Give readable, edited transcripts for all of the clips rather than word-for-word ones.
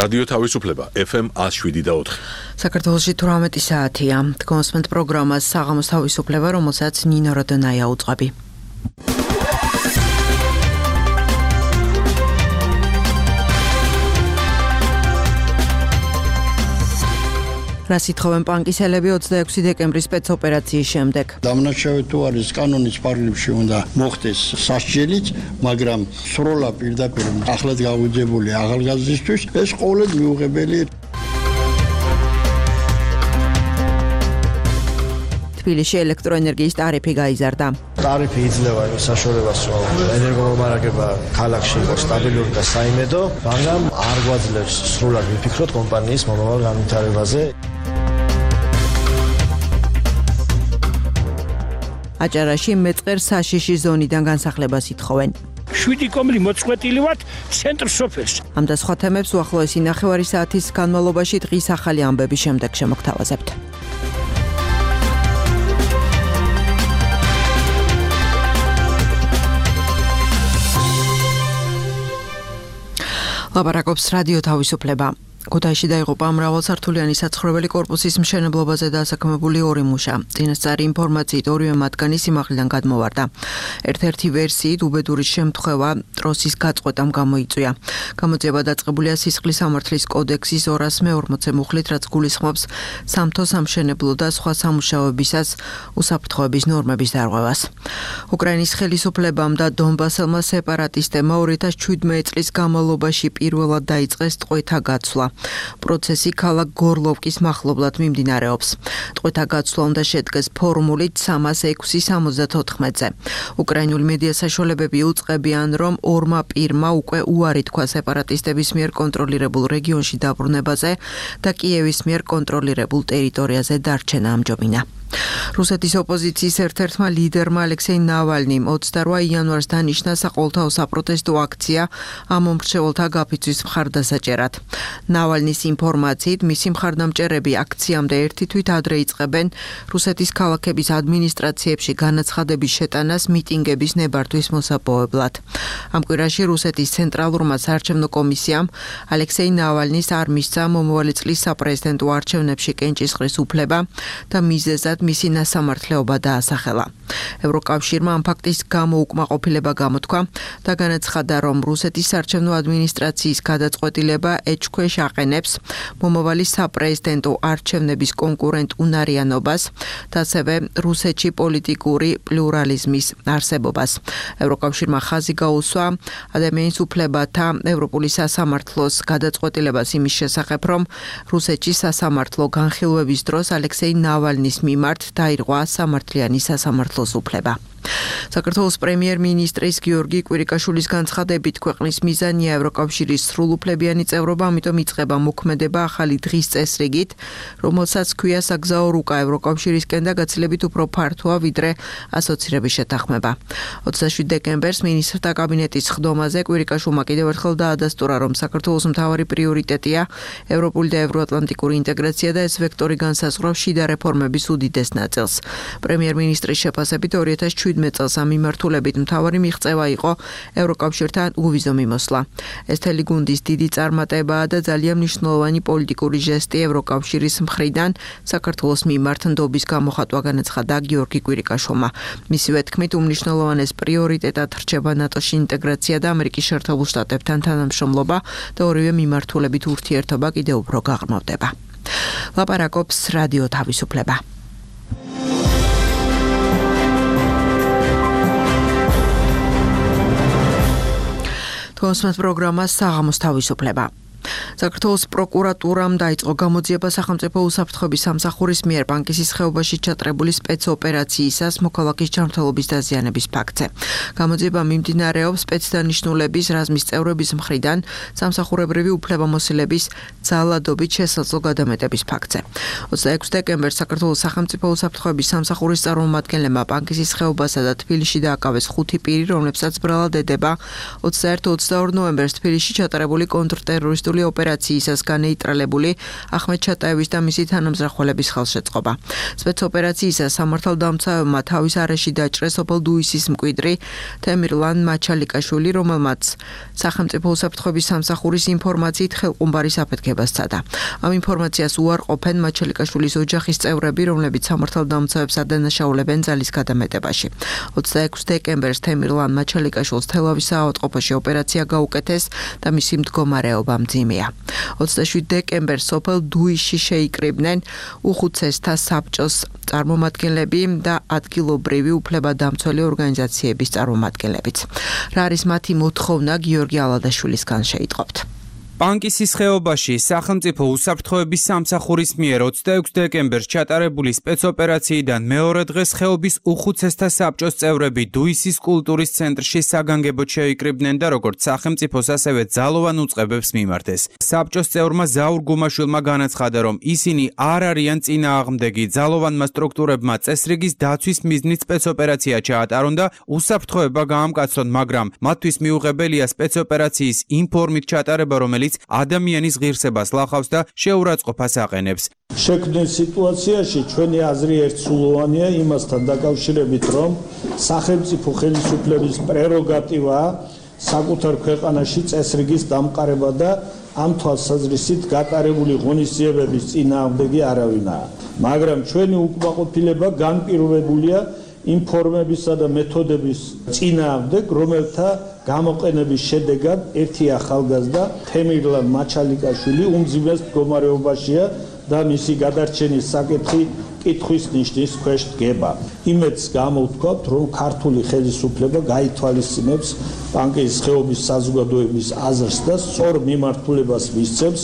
რადიო თავისუფლება FM 107.4. საქართველოში 18 საათია. კონსმენტ პროგრამას საღამოს თავისუფლება, რომელსაც ნინო როდონაია უწყობი. რას ითხოვენ პანკისელები 26 დეკემბრის სპეცოპერაციის შემდეგ? დამნაშავე თუ არის კანონის პარალელში უნდა მოხდეს სასჯელიც, მაგრამ სროლა პირდაპირ ახლად გაუძებული ახალგაზრდისთვის ეს ყოველდღე მიუღებელი. თბილისში ელექტროენერგიის ტარიფი გაიზარდა. ტარიფი იძლევა იმ საშუალებას, რომ ენერგომომარაგება ქალაქში იყოს სტაბილური და საიმედო, მაგრამ არ გვაძლევს სრულად ვიფიქროთ კომპანიის მომავალ განვითარებაზე. აჭარაში მეწყერ საშიში ზონიდან განსახლებას ითხოვენ. 7 კომლი მოწყვეტილი ვართ ცენტრ სოფელს. ამ და სხვა თემებს უახლოესი ნახევარი საათის განმავლობაში დღის ახალი ამბების შემდეგ შემოგთავაზებთ. ლაპარაკობს რადიო თავისუფლება. ქუთაისში დაიღუპა მრავალსართულიანი საცხოვრებელი კორპუსის მშენებლობაზე დასაქმებული 2 მუშა. წინასწარი ინფორმაციით ორივე მათგანი სიმაღლიდან გადმოვარდა. ერთ-ერთი ვერსიით უბედური შემთხვევა ტროსის გაწყვეტამ გამოიწვია. გამოძიება დაწყებულია სისხლის სამართლის კოდექსის 240 მუხლით, რაც გულისხმობს სამთო სამშენებლო და სხვა სამუშაოებისას უსაფრთხოების ნორმების დარღვევას. უკრაინის ხელისუფლებამ და დონბასელმა სეპარატისტებმა 2017 წლის განმავლობაში პირველად დაიწყეს ტყვეთა გაცვლა. პროცესი ქალაქ გორლოვკის მახლობლად მიმდინარეობს. ტყვეთა გაცვლა უნდა შედგეს ფორმულით 306-74-ზე. უკრაინული მედია საშუალებები უწყებიან, რომ ორმა პირმა უკვე უარი თქვა სეპარატისტების მიერ კონტროლირებულ რეგიონში დაბრუნებაზე და კიევის მიერ კონტროლირებულ ტერიტორიაზე დარჩენა ამჯობინა. რუსეთის ოპოზიციის ერთ-ერთმა ლიდერმა ალექსეი ნავალნიმ 28 იანვარს დანიშნა საყოველთაო საპროტესტო აქცია ამ მომრჩეველთა გაფიცვის მხარდასაჭერად. ნავალნის ინფორმაციით, მისი მხარდამჭერები აქციამდე ერთი თვით ადრე იწყებენ რუსეთის ქალაქების ადმინისტრაციებში განაცხადების შეტანას მიტინგების ნებართვის მოსაპოვებლად. ამ კვირაში რუსეთის ცენტრალურმა საარჩევნო კომისიამ ალექსეი ნავალნის არ მისცა მომავალი წლის საპრეზიდენტო არჩევნებში კენჭისყრის უფლება და მიზეზად მისი ნასამართლეობა დაასახელა. ევროკავშირმა ამ ფაქტის გამო უკმაყოფილება გამოთქვა და განაცხადა, რომ რუსეთის საარჩევნო ადმინისტრაციის გადაწყვეტილება ეჭქვეშ აყენებს მომავალი საპრეზიდენტო არჩევნების კონკურენტ უნარიანობას და ასევე რუსეთში პოლიტიკური პლურალიზმის არსებობას. ევროკავშირმა ხაზი გაუსვა ადამიანის უფლებათა ევროპული სასამართლოს გადაწყვეტილებას იმის შესახებ, რომ რუსეთში სასამართლო განხილვების დროს ალექსეი ნავალნის მიმართ დაირღვა სამართლიანი სასამართლოს უფლება. საქართველოს პრემიერ-მინისტრის გიორგი კვირიკაშვილის განცხადებით, ქვეყნის მიზანია ევროკავშირის სრულუფლებიანი წევრობა, ამიტომ იწყება მოქმედება ახალი დღის წესრიგით, რომელსაც ჰქვია საგზაო რუკა ევროკავშირისკენ და გაცილებით უფრო ფართოა, ვიდრე ასოცირების შეთანხმება. 27 დეკემბერს მინისტრთა კაბინეტის ხდომაზე კვირიკაშვილმა კიდევ ერთხელ დაადასტურა, რომ საქართველოს მთავარი პრიორიტეტია ევროპული და ევროატლანტიკური ინტეგრაცია და ეს ვექტორი განსაზღვრავს შიდა რეფორმების უდიდეს ნაწილს. პრემიერ-მინისტრის შეფასებით 2017 წელს ამ მიმართულებით მთავარი მიღწევა იყო ევროკავშირთან უვიზო მიმოსვლა. ეს მთელი გუნდის დიდი წარმატებაა და ძალიან მნიშვნელოვანი პოლიტიკური ჟესტი ევროკავშირის მხრიდან საქართველოს მიმართ ნდობის გამოხატვა, განაცხადა გიორგი კვირიკაშვილმა. მისივე თქმით, უმნიშვნელოვანეს პრიორიტეტად რჩება ნატოში ინტეგრაცია და ამერიკის შეერთებულ შტატებთან თანამშრომლობა და ორივე მიმართულებით ურთიერთობა კიდევ უფრო გაღრმავდება. ლაპარაკობს რადიო თავისუფლება. კონსმენტ პროგრამას საღამოს თავისუფლება. საქართველოს პროკურატურამ დაიწყო გამოძიება სახელმწიფო უსაფრთხოების სამსახურის მიერ პანკისის ხეობაში ჩატარებული სპეცოპერაციისას მოქალაქის ჯანმრთელობის დაზიანების ფაქტზე. გამოძიება მიმდინარეობს სპეცდანიშნულების რაზმის წევრების მხრიდან სამსახურებრივი უფლებამოსილების ძალადობით შესაძლო გადამეტების ფაქტზე. 26 დეკემბერს საქართველოს სახელმწიფო უსაფრთხოების სამსახურის წარმომადგენლებმა პანკისის ხეობასა და თბილისში დააკავეს 5 პირი, რომლებსაც ბრალად ედება 21-22 ნოემბერს თბილისში ჩატარებული კონტრტერორისტული ოპერაცია ოპერაციისას განეიტრალებული ახმედ ჩატაევის და მისი თანამზრახველების ხელშეწყობა. სპეცოპერაციისას სამართალდამცავებმა თავის არეში დაჭრეს სოფელ დუისის მკვიდრი თემირლან მაჩალიკაშვილი, რომელმაც სახელმწიფო უსაფრთხოების სამსახურის ინფორმაციით ხელყუმბარის აფეთქება სცადა. Ამ ინფორმაციას უარყოფენ მაჩალიკაშვილის ოჯახის წევრები, რომლებიც სამართალდამცავებს ადანაშაულებენ ძალის გადამეტებაში. 26 დეკემბერს თემირლან მაჩალიკაშვილს თელავის საავადმყოფოში ოპერაცია გაუკეთეს და მისი მდგომარეობა მძიმეა. 27 დეკემბერს სოფელ დუისში შეიკრიბნენ უხუცესთა საბჭოს წარმომადგენლები და ადგილობრივი უფლებადამცველი ორგანიზაციების წარმომადგენლებიც. რა არის მათი მოთხოვნა, გიორგი ალადაშვილისგან შეიტყობთ. პანკისის ხეობაში სახელმწიფო უსაფრთხოების სამსახურის მიერ 26 დეკემბერს ჩატარებული სპეცოპერაციიდან მეორე დღეს ხეობის უხუცესთა საბჭოს წევრები დუისის კულტურის ცენტრში საგანგებოდ შეიკრიბნენ და როგორც სახელმწიფოს, ასევე ძალოვან უწყებებს მიმართეს. საბჭოს წევრმა ზაურ გუმაშვილმა განაცხადა, რომ ისინი არ არიან წინააღმდეგი, ძალოვანმა სტრუქტურებმა წესრიგის დაცვის მიზნით სპეცოპერაცია ჩაატარონ და უსაფრთხოება გაამკაცრონ, მაგრამ მათთვის მიუღებელია სპეცოპერაციის ინფორმით ჩატარება, რომელიც ადამიანის ღირსებას ლახავს და შეურაცხყოფას აყენებს. შექმნილ სიტუაციაში ჩვენი აზრი ერთსულოვანია იმასთან დაკავშირებით, რომ სახელმწიფო ხელისუფლების პრეროგატივაა საკუთარ ქვეყანაში წესრიგის დამყარება და ამ თვალსაზრისით გატარებული ღონისძიებების წინააღმდეგი არავინაა. მაგრამ ჩვენი უკმაყოფილება განპირობებულია ინფორმებისა და მეთოდების წინააღმდეგ, რომელთა გამოყენების შედეგად ერთი ახალგაზრდა თემირლან მაჩალიკაშვილი უმძიმეს მდგომარეობაშია და მისი გადარჩენის საკითხი კითხვის ნიშნის ქვეშ დგება. იმედს გამოვთქვათ, რომ ქართული ხელისუფლება გაითვალისწინებს პანკისის ხეობის საზოგადოების აზრს და სწორ მიმართულებას მისცემს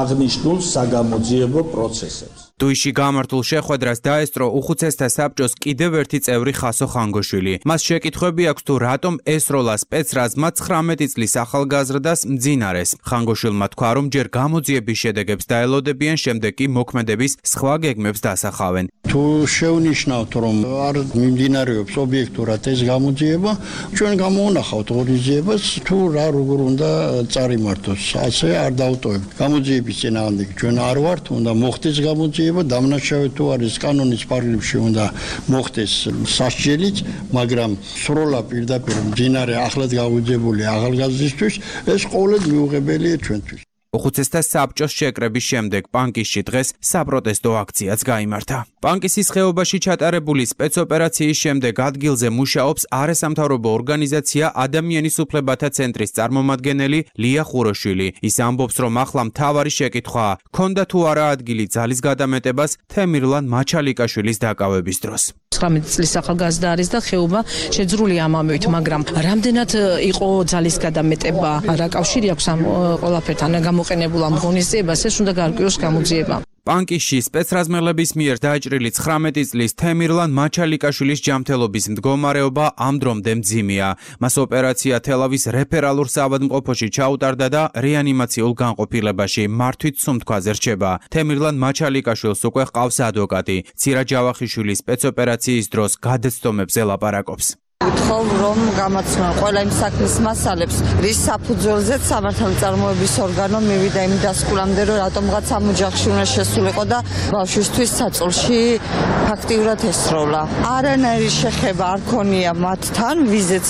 აღნიშნულ საგამოძიებო პროცესებს. დუისში გამართულ შეხვედრას დაესწრო უხუცესთა საბჭოს კიდევ ერთი წევრი ხასო ხანგოშვილი. მას შეკითხვები აქვს თუ რატომ ესროლა სპეცრაზმა 19 წლის ახალგაზრდას მძინარეს. ხანგოშვილმა თქვა, რომ ჯერ გამოძიების შედეგებს დაელოდებიან, შემდეგ კი მოქმედების სხვა გეგმებს დასახავენ. თუ შევნიშნავთ, რომ არ მიმდინარეობს ობიექტურად ეს გამოძიება, ჩვენ გამოვანახავთ ღონისძიებას, თუ რა როგორ უნდა წარიმართოს, ასე არ დავტოვებთ. გამოძიების წინააღმდეგ ჩვენ არ ვართ, უნდა მოხდეს გამოძიება. დამნაშავე თუ არის კანონის პარალელში უნდა მოხდეს სასჯელიც, მაგრამ სროლა პირდაპირ მძინარე ახლად გაუძებული ახალგაზრდისთვის ეს ყოველდღე მიუღებელია ჩვენთვის. უხუცესთა საბჭოს შეკრების შემდეგ პანკისში დღეს საპროტესტო აქციაც გაიმართა. პანკისის ხეობაში ჩატარებული სპეცოპერაციის შემდეგ ადგილზე მუშაობს არასამთავრობო ორგანიზაცია ადამიანის უფლებათა ცენტრის წარმომადგენელი ლია ხუროშვილი. ის ამბობს, რომ ახლა მთავარი შეკითხვაა, ქონდა თუ არა ადგილი ძალის გადამეტებას თემირლან მაჩალიკაშვილის დაკავების დროს. 19 წლის ახალგაზრდა არის და ხეობა შეძრულია ამ ამით, მაგრამ რამდენად იყო ძალის გადამეტება, რა კავშირი აქვს ამ ყველაფერთან გამოყენებულ ამ ღონისძიებას, ეს უნდა გაარკვიოს გამოძიება. პანკისში სპეცრაზმელების მიერ დაჭრილი 19 წლის თემირლან მაჩალიკაშვილის ჯანმრთელობის მდგომარეობა ამ დრომდე მძიმეა. მას ოპერაცია თელავის რეფერალურ საავადმყოფოში ჩაუტარდა და რეანიმაციულ განყოფილებაში მართვით სუნთქვაზე რჩება. თემირლან მაჩალიკაშვილს უკვე ჰყავს ადვოკატი. ცირა ჯავახიშვილის სპეცოპერაციის დროს გადაცდომებზე ლაპარაკობს. ვთხოვ, რომ გამაცნონ ყველა იმ საქმის მასალებს, რის საფუძველზეც სამართალწარმოების ორგანო მივიდა იმ დასკვნამდე, რომ რატომღაც ამ ოჯახში უნდა შესულიყო და ბავშვისთვის საწოლში ფაქტიურად ესროლა. არანაირი შეხება არ ქონია მათთან, ვიზეც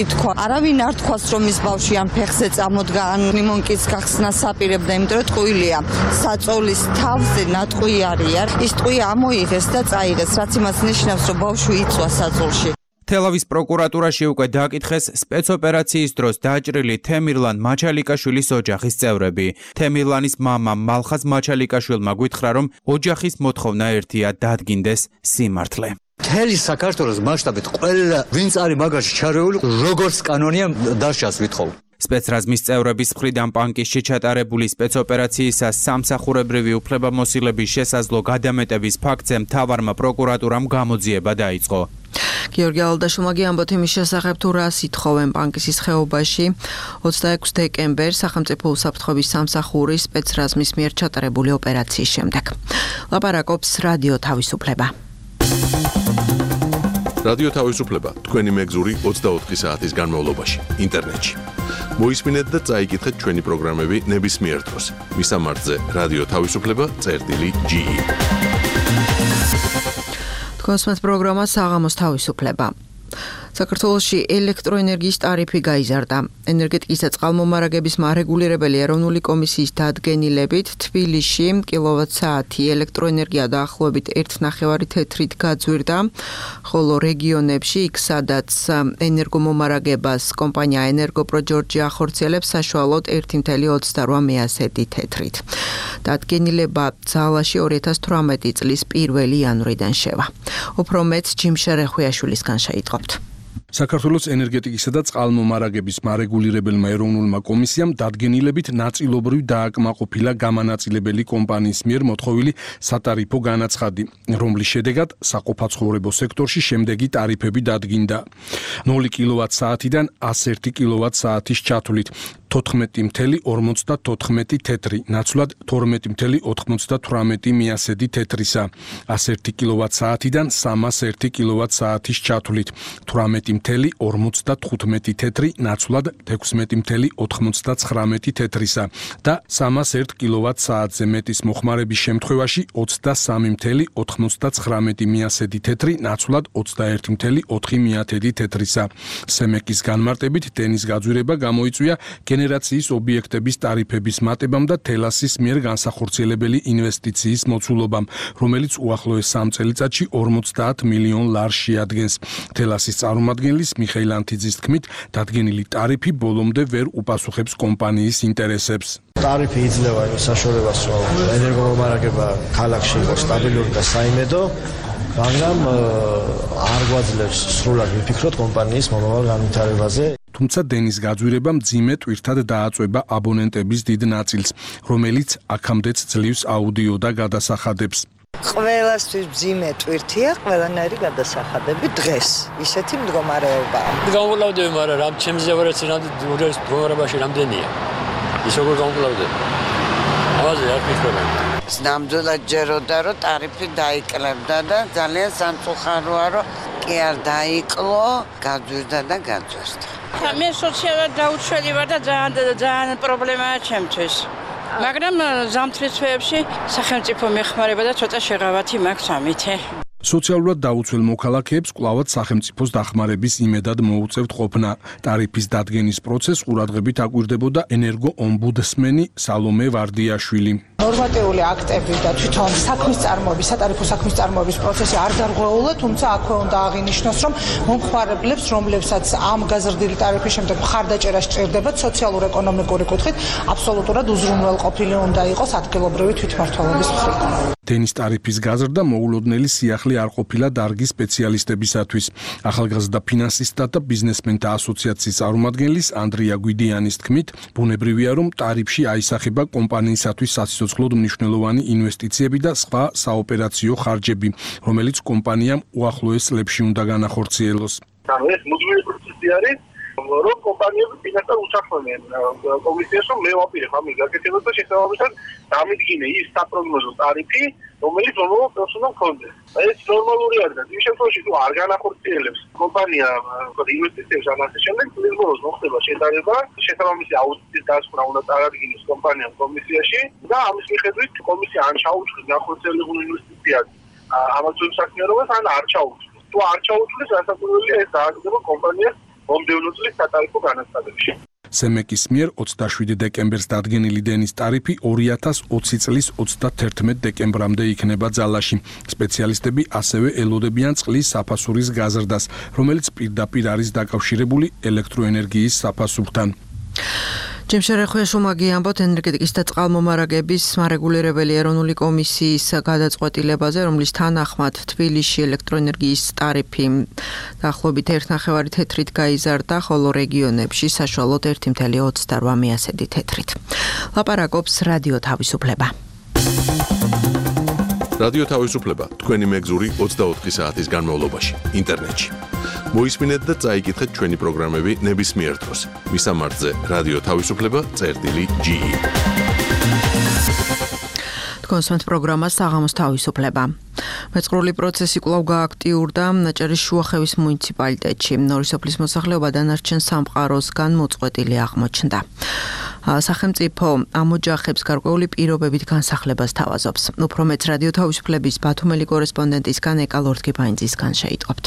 ითქვა. არავინ არ თქვას, რომ ის ბავშვი ამ ფეხზე წამოდგა, ან ლიმონკის გახსნა საპირებდა, იმიტომ რომ ტყუილია. საწოლის თავზე ნატყვი არია. ის ტყვი ამოიღეს და წაიღეს, რაც იმას ნიშნავს, რომ ბავშვი იწვა საწოლში. თელავის პროკურატურაში უკვე დააკითხეს სპეცოპერაციის დროს დაჭრილი თემირლან მაჩალიკაშვილის ოჯახის წევრები. თემირლანის მამა მალხაზ მაჩალიკაშვილმა გითხრა, რომ ოჯახის მოთხოვნა ერთია, დადგინდეს სიმართლე. მთელი საქართველოს მასშტაბით ყველა ვინც არის მაგაში ჩარეული, როგორც კანონია დასჯას ვითხოვ. სპეცრაზმის წევრების მხრიდან პანკისში ჩატარებული სპეცოპერაციისას სამსახურებრივი უფლებამოსილების შესაძლო გადამეტების ფაქტზე მთავარმა პროკურატურამ გამოძიება დაიწყო. გიორგი ალადაშვილმა ამბობთ იმის შესახებ, თუ რას ითხოვენ პანკისის ხეობაში 26 დეკემბერს სახელმწიფო უსაფრთხოების სამსახურის სპეცრაზმის მიერ ჩატარებული ოპერაციის შემდეგ. ლაპარაკობს რადიო თავისუფლება. რადიო თავისუფლება თქვენი მეგზური 24 საათის განმავლობაში ინტერნეტში. მოისმინეთ და წაიკითხეთ ჩვენი პროგრამები ნებისმიერ დროს. მისამართზე რადიო თავისუფლება წერტილი.ge. თქვენს პროგრამა საღამოს თავისუფლება. საქართველოში ელექტროენერგიის ტარიფი გაიზარდა. ენერგეტიკის და წყალმომარაგების მარეგულირებელი ეროვნული კომისიის დადგენილებით თბილისში კილოვატ-საათი ელექტროენერგია დაახლოებით 1.5 თეთრით გაძვირდა, ხოლო რეგიონებში, იქ სადაც ენერგომომარაგებას კომპანია ენერგოპროჯორჯი ახორციელებს, საშუალოდ 1.28 თეთრით. დადგენილება ძალაში 2018 წლის 1 იანვრიდან შევა. უფრო მეტ ჯიმშა რეხვიაშვილისგან შეიტყობთ. საქართველოს ენერგეტიკისა და წყალმომარაგების მარეგულირებელმა ეროვნულმა კომისიამ დადგენილებით ნაწილობრივ დააკმაყოფილა გამანაწილებელი კომპანიის მიერ მოთხოვილი სატარიფო განაცხადი, რომლის შედეგად საყოფაცხოვრებო სექტორში შემდეგი ტარიფები დადგინდა: 0 კილოვატ-საათიდან 101 კილოვატ-საათის ჩათვლით 14.54 თეთრი, ნაცვლად 12.98 მიასედი თეთრისა, 101 კილოვატ-საათიდან 301 კილოვატ-საათის ჩათვლით 18.55 თეთრი, ნაცვლად 16.99 თეთრისა და 301 კილოვატ-საათზე მეტის მოხმარების შემთხვევაში 23.99 მიასედი თეთრი, ნაცვლად 21.4 თეთრისა. სემეკის განმარტებით დენის გაძვირება გამოიწვია გენერაციის ობიექტების ტარიფების მატებამ და თელასის მიერ განსახორციელებელი ინვესტიციის მოცულობამ, რომელიც უახლოეს 3 წელიწადში 50 მილიონ ლარს შეადგენს. თელასის წარმომადგენლის მიხეილ ანთიძის თქმით, დადგენილი ტარიფი ბოლომდე ვერ უპასუხებს კომპანიის ინტერესებს. ტარიფი იძლევა იმ საშუალებას, რომ ენერგომომარაგება ქალაქში იყოს სტაბილური და საიმედო, მაგრამ არ გვაძლევს სრულად ვიფიქროთ კომპანიის მომავალ განვითარებაზე. თუმცა დენის გაძვირება მძიმე ტვირთად დააწვება აბონენტების დიდ ნაწილს, რომელიც აქამდეც ძლივს აუდიო და გადასახადებს. ყველასთვის მძიმე ტვირთია ყველანაირი გადასახადები დღეს. ისეთი მდგომარეობაა. გამოვკლავდები, მაგრამ რამ ჩემზე ვერაც მდგომარეობაში რამდენია. ის როგორ გამოვკლავდები? ამაზე არ ფიქრობენ. ნამდვილად ჯეროდა, რომ ტარიფი დაიკლებდა და ძალიან სამწუხაროა, რომ კი არ დაიკლო, გაძვირდა და გაძვირდა. მე სოციალურად დაუცველი ვარ და ძალიან პრობლემაა ჩემთვის. მაგრამ ზამთრის თვეებში სახელმწიფო მეხმარება და ცოტა შეღავათი მაქვს ამითი. სოციალურად დაუცველ მოქალაქეებს კვლავად სახელმწიფოს დახმარების იმედად მოუწევთ ყოფნა. ტარიფის დადგენის პროცესს ყურადღებით აკვირდებოდა ენერგო-ომბუდსმენი სალომე ვარდიაშვილი. ნორმატიული აქტები და თვითონ სატარიფო საქმის წარმოების პროცესი არ დარღვეულა, თუმცა აქვე უნდა აღინიშნოს, რომ მომხმარებლებს, რომლებსაც ამ გაზრდილი ტარიფის შემდეგ მხარდაჭერა სჭირდებათ, სოციალურ-ეკონომიკური კუთხით აბსოლუტურად უზრუნველყოფილი უნდა იყოს ადგილობრივი თვითმმართველობის მხრიდან. დენის ტარიფის გაზრდა მოულოდნელი სიახლე არ ყოფილა დარგის სპეციალისტებისათვის. ახალგაზრდა ფინანსისტთა და ბიზნესმენთა ასოციაციის წარმომადგენლის ანდრია გვიდიანის თქმით, ბუნებრივია, რომ ტარიფში აისახება კომპანიისათვის საციცოცხლოდ მნიშვნელოვანი ინვესტიციები და სხვა საოპერაციო ხარჯები, რომელიც კომპანიამ უახლოეს წლებში უნდა განახორციელოს. ეს მუდმივი პროცესი არის, რომ კომპანიები ფინანსად უსახმენ კომისიას, რომ მე ვაპირებ ამის გაკეთებას და შესაბამისად დამიდგინე ის საპროგნოზო ტარიფი, რომელიც მომავალ წელს უნდა მქონდეს. ეს ნორმალური არის და იმ შემთხვევაში თუ არ განახორციელებს კომპანია ინვესტიციებს ან ასე შემდეგ, წლის ბოლოს მოხდება შეტანება, შესაბამისი აუდიტის დასკვნა უნდა წარადგინოს კომპანიამ კომისიაში და ამის მიხედვით კომისია ან ჩაუწყდეს განხორციელებულ ინვესტიციას ამავე საქმიანობას, ან არ ჩაუწყდეს. თუ არ ჩაუწყდეს, რასაკვირველია, ეს დააგდება კომპანიას მომდევნო წლის სატარიფო განაცხადებში. სემეკის მიერ 27 დეკემბერს დადგენილი დენის ტარიფი 2020 წლის 31 დეკემბრამდე იქნება ძალაში. სპეციალისტები ასევე ელოდებიან წყლის საფასურის გაზრდას, რომელიც პირდაპირ არის დაკავშირებული ელექტროენერგიის საფასურთან. ჯემშა რეხვიაშვილმა გიამბოთ ენერგეტიკის და წყალმომარაგების მარეგულირებელი ეროვნული კომისიის გადაწყვეტილებაზე, რომლის თანახმად თბილისში ელექტროენერგიის ტარიფი დაახლოებით 1.5 თეთრით გაიზარდა, ხოლო რეგიონებში საშუალოდ 1.28 თეთრით. ლაპარაკობს რადიო თავისუფლება. რადიო თავისუფლება თქვენი მეგზური 24 საათის განმავლობაში ინტერნეტში. მოისმინეთ და წაიკითხეთ ჩვენი პროგრამები ნებისმიერ დროს. მისამართზე რადიო თავისუფლება წერტილი.ge. კონსვენთ პროგრამა საღამოს თავისუფლება. მეწყრული პროცესი კვლავ გააქტიურდა ნაჭერის შუახევის მუნიციპალიტეტში. ნორი სოფლის მოსახლეობა დანარჩენ სამყაროსგან მოწყვეტილი აღმოჩნდა. სახელმწიფო ამ ოჯახებს გარკვეული პირობებით განსახლებას თავაზობს. უფრო მეც რადიო თავისუფლების ბათუმელი კორესპონდენტისგან ეკა ლორთქიფაინძისგან შეიტყობთ.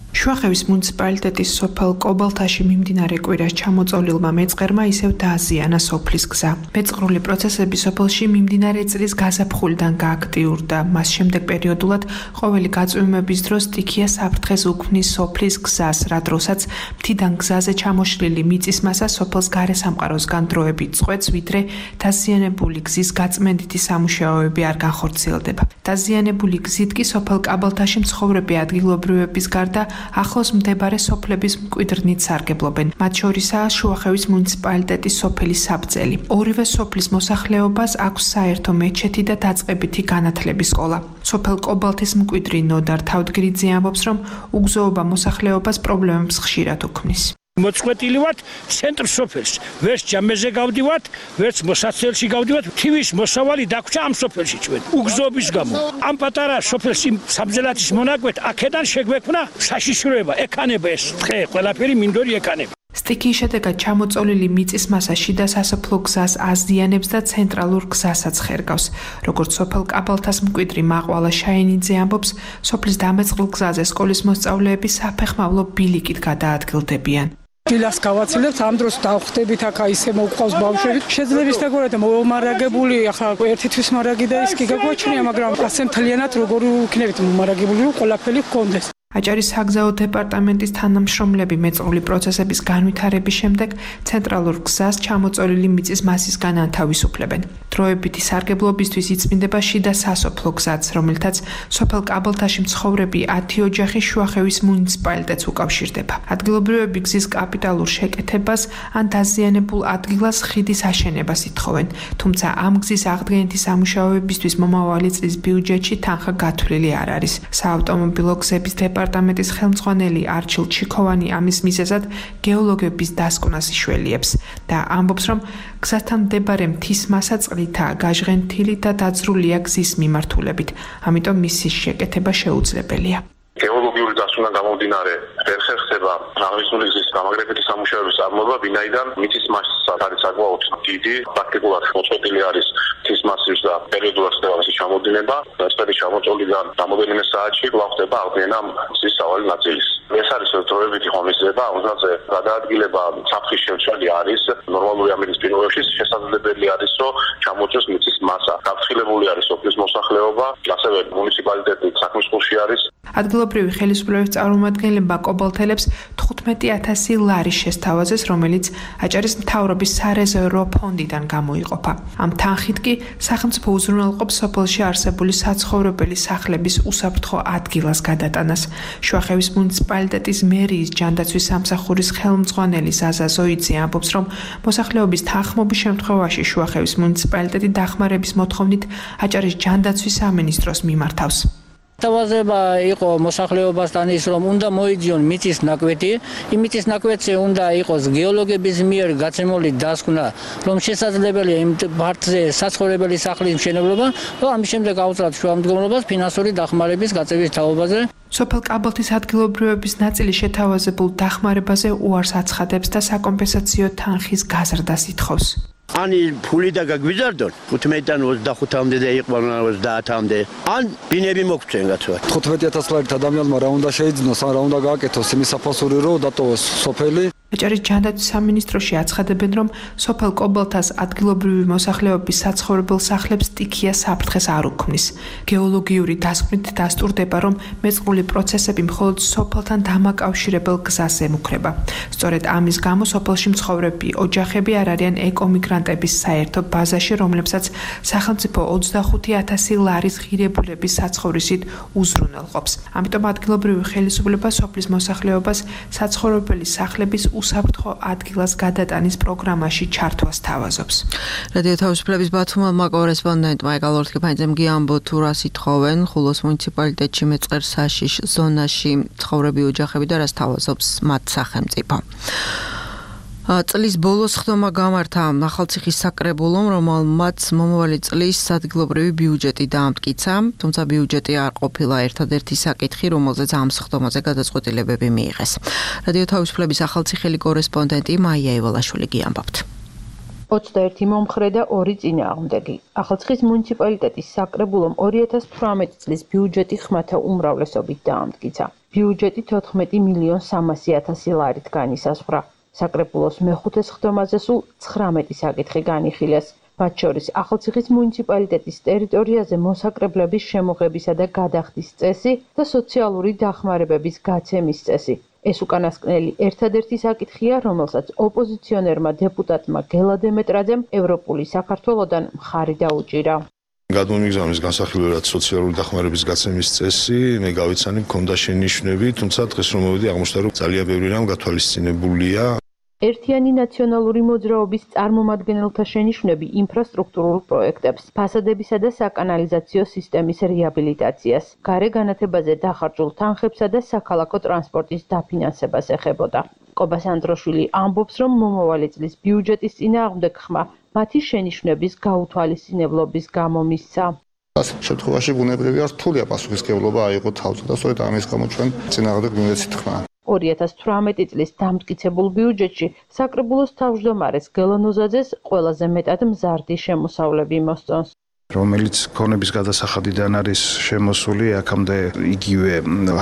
შუახევის მუნიციპალიტეტის სოფელ კობალთაში მიმდინარე კვირას ჩამოწოლილმა მეწყერმა ისევ დააზიანა სოფლის გზა. მეწყრული პროცესები სოფელში მიმდინარე წლის გაზაფხულიდან გააქტიურდა. მას შემდეგ პერიოდულად ყოველი გაწვიმების დროს სტიქია საფრთხეს უქმნის სოფლის გზას, რა დროსაც მთიდან გზაზე ჩამოშლილი მიწის მასა სოფელს გარესამყაროსგან დროებით წყვეტს, ვიდრე დაზიანებული გზის გაწმენდითი სამუშაოები არ განხორციელდება. დაზიანებული გზით კი სოფელ კაბალთაში მცხოვრები ადგილობრივების გარდა ახლოს მდებარე სოფლების მკვიდრნით სარგებლობენ. მათ შორისაა შუახევის მუნიციპალიტეტის სოფელი საბძელი. ორივე სოფლის მოსახლეობას აქვს საერთო მეჩეთი და დაწყებითი განათლების სკოლა. სოფელ კობალთის მკვიდრი ნოდარ თავდგრიძე ამბობს, რომ უგზოობა მოსახლეობას პრობლემებს ხშირად უქმნის. მოწყვეტილი ვართ ცენტრ სოფელს. ვერც ჯამეზე გავდივართ, ვერც მოსაცელში გავდივართ. თივის მოსავალი დაგვრჩა ამ სოფელში ჩვენ. უგზოობის გამო. ამ პატარა სოფელს იმ საბძელათის მონაკვეთ აქედან შეგვექმნა საშიშროება, ეკანება ეს თხე, ყველაფერი მინდორი ეკანება. სტიქიის შედეგად ჩამოწოლილი მიწის მასა შიდა სასოფლო გზას აზიანებს და ცენტრალურ გზასაც ხერგავს. როგორც სოფელ კაბალთას მკვიდრი მაყვალა შაინიძე ამბობს, სოფლის დამეწყრულ გზაზე სკოლის მოსწავლეები საფეხმავლო ბილიკით გადაადგილდებიან. დილას გავაცილებთ, ამ დროს დავხვდებით აქ ისე მოვყავს ბავშვები. შეძლებს დაგორა და მომარაგებული, ახლა ერთი თვის მარაგი და ის კი გაგვაჩნია, მაგრამ ასე მთლიანად როგორ ვიქნებით მომარაგებული, რომ ყველაფერი გქონდეს. აჭარის საგზაო დეპარტამენტის თანამშრომლები მეწყრული პროცესების განვითარების შემდეგ ცენტრალურ გზას ჩამოწოლილი მიწის მასისგან ანთავისუფლებენ. დროებითი სარგებლობისთვის იწმინდება შიდა სასოფლო გზაც, რომელთაც სოფელ კაბალთაში მცხოვრები 10 ოჯახი შუახევის მუნიციპალიტეტს უკავშირდება. ადგილობრივები გზის კაპიტალურ შეკეთებას ან დაზიანებულ ადგილას ხიდის აშენებას ითხოვენ, თუმცა ამ გზის აღდგენითი სამუშაოებისთვის მომავალი წლის ბიუჯეტში თანხა გათვლილი არ არის. საავტომობილო გზების დეპარტამენტის ხელმძღვანელი არჩილ ჩიქოვანი ამის მიზეზად გეოლოგების დასკვნას იშველიებს და ამბობს, რომ გზასთან მდებარე მთის მასა წყლითაა გაჟღენთილი და დაძრულია გზის მიმართულებით, ამიტომ მის შეკეთება შეუძლებელია. გეოლოგიური დასკვნა გამომდინარე ვერ ხერხდება აღნიშნული გზის გამაგრებითი სამუშაოების წარმოება, ვინაიდან მიწის მასა არის საკმაოდ დიდი, პრაქტიკულად მოწყვეტილი არის მთის მასივის და პერიოდულად ხდება მისი ჩამოდინება. წელი ჩამოწოლიდან რამოდენიმე საათში კვლავ ხდება აღდგენა მზის სავალი ნაწილის. ეს არის დროებითი ღონისძიება, რომელზეც გადაადგილება საფრთხის შემცველი არის. ნორმალური ამის პირობებში შესაძლებელი არის, რომ ჩამოწოს მიწის მასა. გაფრთხილებული არის სოფლის მოსახლეობა, ასევე მუნიციპალიტეტი საქმისყურში არის. ადგილობრივი ხელისუფლების წარმომადგენლებმა კობალთელებს 15,000 ლარი შესთავაზეს, რომელიც აჭარის მთავრობის სარეზერვო ფონდიდან გამოიყოფა. ამ თანხით კი სახელმწიფო უზრუნველყოფს სოფელში არსებული საცხოვრებელი სახლების უსაფრთხო ადგილას გადატანას. შუახევის მუნიციპალიტეტის მერიის ჯანდაცვის სამსახურის ხელმძღვანელი ზაზა ზოიძე ამბობს, რომ მოსახლეობის თანხმობის შემთხვევაში შუახევის მუნიციპალიტეტი დახმარების მოთხოვნით აჭარის ჯანდაცვის სამინისტროს მიმართავს. თავაზება იყო მოსახლეობასთან ის, რომ უნდა მოიძიონ მიწის ნაკვეთი, იმ მიწის ნაკვეთზე უნდა იყოს გეოლოგების მიერ გაცემული დასკვნა, რომ შესაძლებელია იმ ფართზე საცხოვრებელი სახლის მშენებლობა, და ამის შემდეგ აუწევთ შუამდგომლობას ფინანსური დახმარების გაწევის თაობაზე. სოფელ კაბალთის ადგილობრივების ნაწილი შეთავაზებულ დახმარებაზე უარს აცხადებს და საკომპენსაციო თანხის გაზრდას ითხოვს. Ani puli da გაგვიზარდონ 15-დან 25-მდე და იყვნენ 30-მდე. ან ბინები მოგწენ გაცვათ. 15,000 ლარით ადამიანმა რა უნდა შეიძინოს, ან რა უნდა გააკეთოს იმის საფასური, რომ დატოვოს სოფელი. აჭარის ჯანდაცვის სამინისტროში აცხადებენ, რომ სოფელ კობალთას ადგილობრივი მოსახლეობის საცხოვრებელ სახლებს სტიქია საფრთხეს არ უქმნის. გეოლოგიური დასკვნით დასტურდება, რომ მეწყრული პროცესები მხოლოდ სოფელთან დამაკავშირებელ გზას ემუქრება. სწორედ ამის გამო სოფელში მცხოვრები ოჯახები არ არიან ეკომიგრანტების საერთო ბაზაში, რომლებსაც სახელმწიფო 25,000 ლარის ღირებულების საცხოვრისით უზრუნველყოფს. ამიტომ ადგილობრივი ხელისუფლება სოფლის მოსახლეობას საცხოვრებელი სახლების უსაფრთხო ადგილას გადატანის პროგრამაში ჩართვას თავაზობს. რადიო თავისუფლების ბათუმელმა კორესპონდენტმა ეკა ლორთქიფაინძემ გიამბო თუ რას ითხოვენ ხულოს მუნიციპალიტეტში მეწყერ საშიშ ზონაში მცხოვრები ოჯახები და რას თავაზობს მათ სახელმწიფო. წლის ბოლოს ხდომა გამართა ახალციხის საკრებულომ, რომელმაც მომავალი წლის ადგილობრივი ბიუჯეტი დაამტკიცა, თუმცა ბიუჯეტი არ ყოფილა ერთადერთი საკითხი, რომელზეც ამ ხდომაზე გადაწყვეტილებები მიიღეს. რადიო თავისუფლების ახალციხელი კორესპონდენტი მაია ევალაშვილი გიამბობთ. 21 მომხრე და 2 წინააღმდეგი. ახალციხის მუნიციპალიტეტის საკრებულომ 2018 წლის ბიუჯეტი ხმათა უმრავლესობით დაამტკიცა. ბიუჯეტი 14.300.000 ლარით განისაზღვრა. საკრებულოს მეხუთე ხდომაზე სულ 19 საკითხი განიხილეს. მათ შორის ახალციხის მუნიციპალიტეტის ტერიტორიაზე მოსაკრებლების შემოღებისა და გადახდის წესი და სოციალური დახმარებების გაცემის წესი. ეს უკანასკნელი ერთადერთი საკითხია, რომელსაც ოპოზიციონერმა დეპუტატმა გელა დემეტრაძემ ევროპული საქართველოდან მხარი დაუჭირა. გადმომიგზავნის განსახილველად სოციალური დახმარების გაცემის წესი, მე გავიცანი მქონდა შენიშვნები, თუმცა დღეს რომ მოვედი აღმოჩნდა, რომ ძალიან ბევრი რამ გათვალისწინებულია. ერთიანი ნაციონალური მოძრაობის წარმომადგენელთა შენიშვნები ინფრასტრუქტურულ პროექტებს, ფასადებისა და საკანალიზაციო სისტემის რეაბილიტაციას, გარე განათებაზე დახარჯულ თანხებსა და საქალაქო ტრანსპორტის დაფინანსებას ეხებოდა. კობას ანდროშვილი ამბობს, რომ მომავალი წლის ბიუჯეტის წინააღმდეგ ხმა მათი შენიშვნების გაუთვალისწინებლობის გამო მისცა. შემთხვევაში ბუნებრივია რთულია პასუხისმგებლობა აიღო თავზე და სწორედ ამის გამო ჩვენ წინააღმდეგ ბიუჯეტით ხმა. 2018 წლის დამტკიცებულ ბიუჯეტში საკრებულოს თავმჯდომარეს გელა ნოზაძეს ყველაზე მეტად მზარდი შემოსავლები მოსწონს. რომელიც ქონების გადასახადიდან არის შემოსული, აქამდე იგივე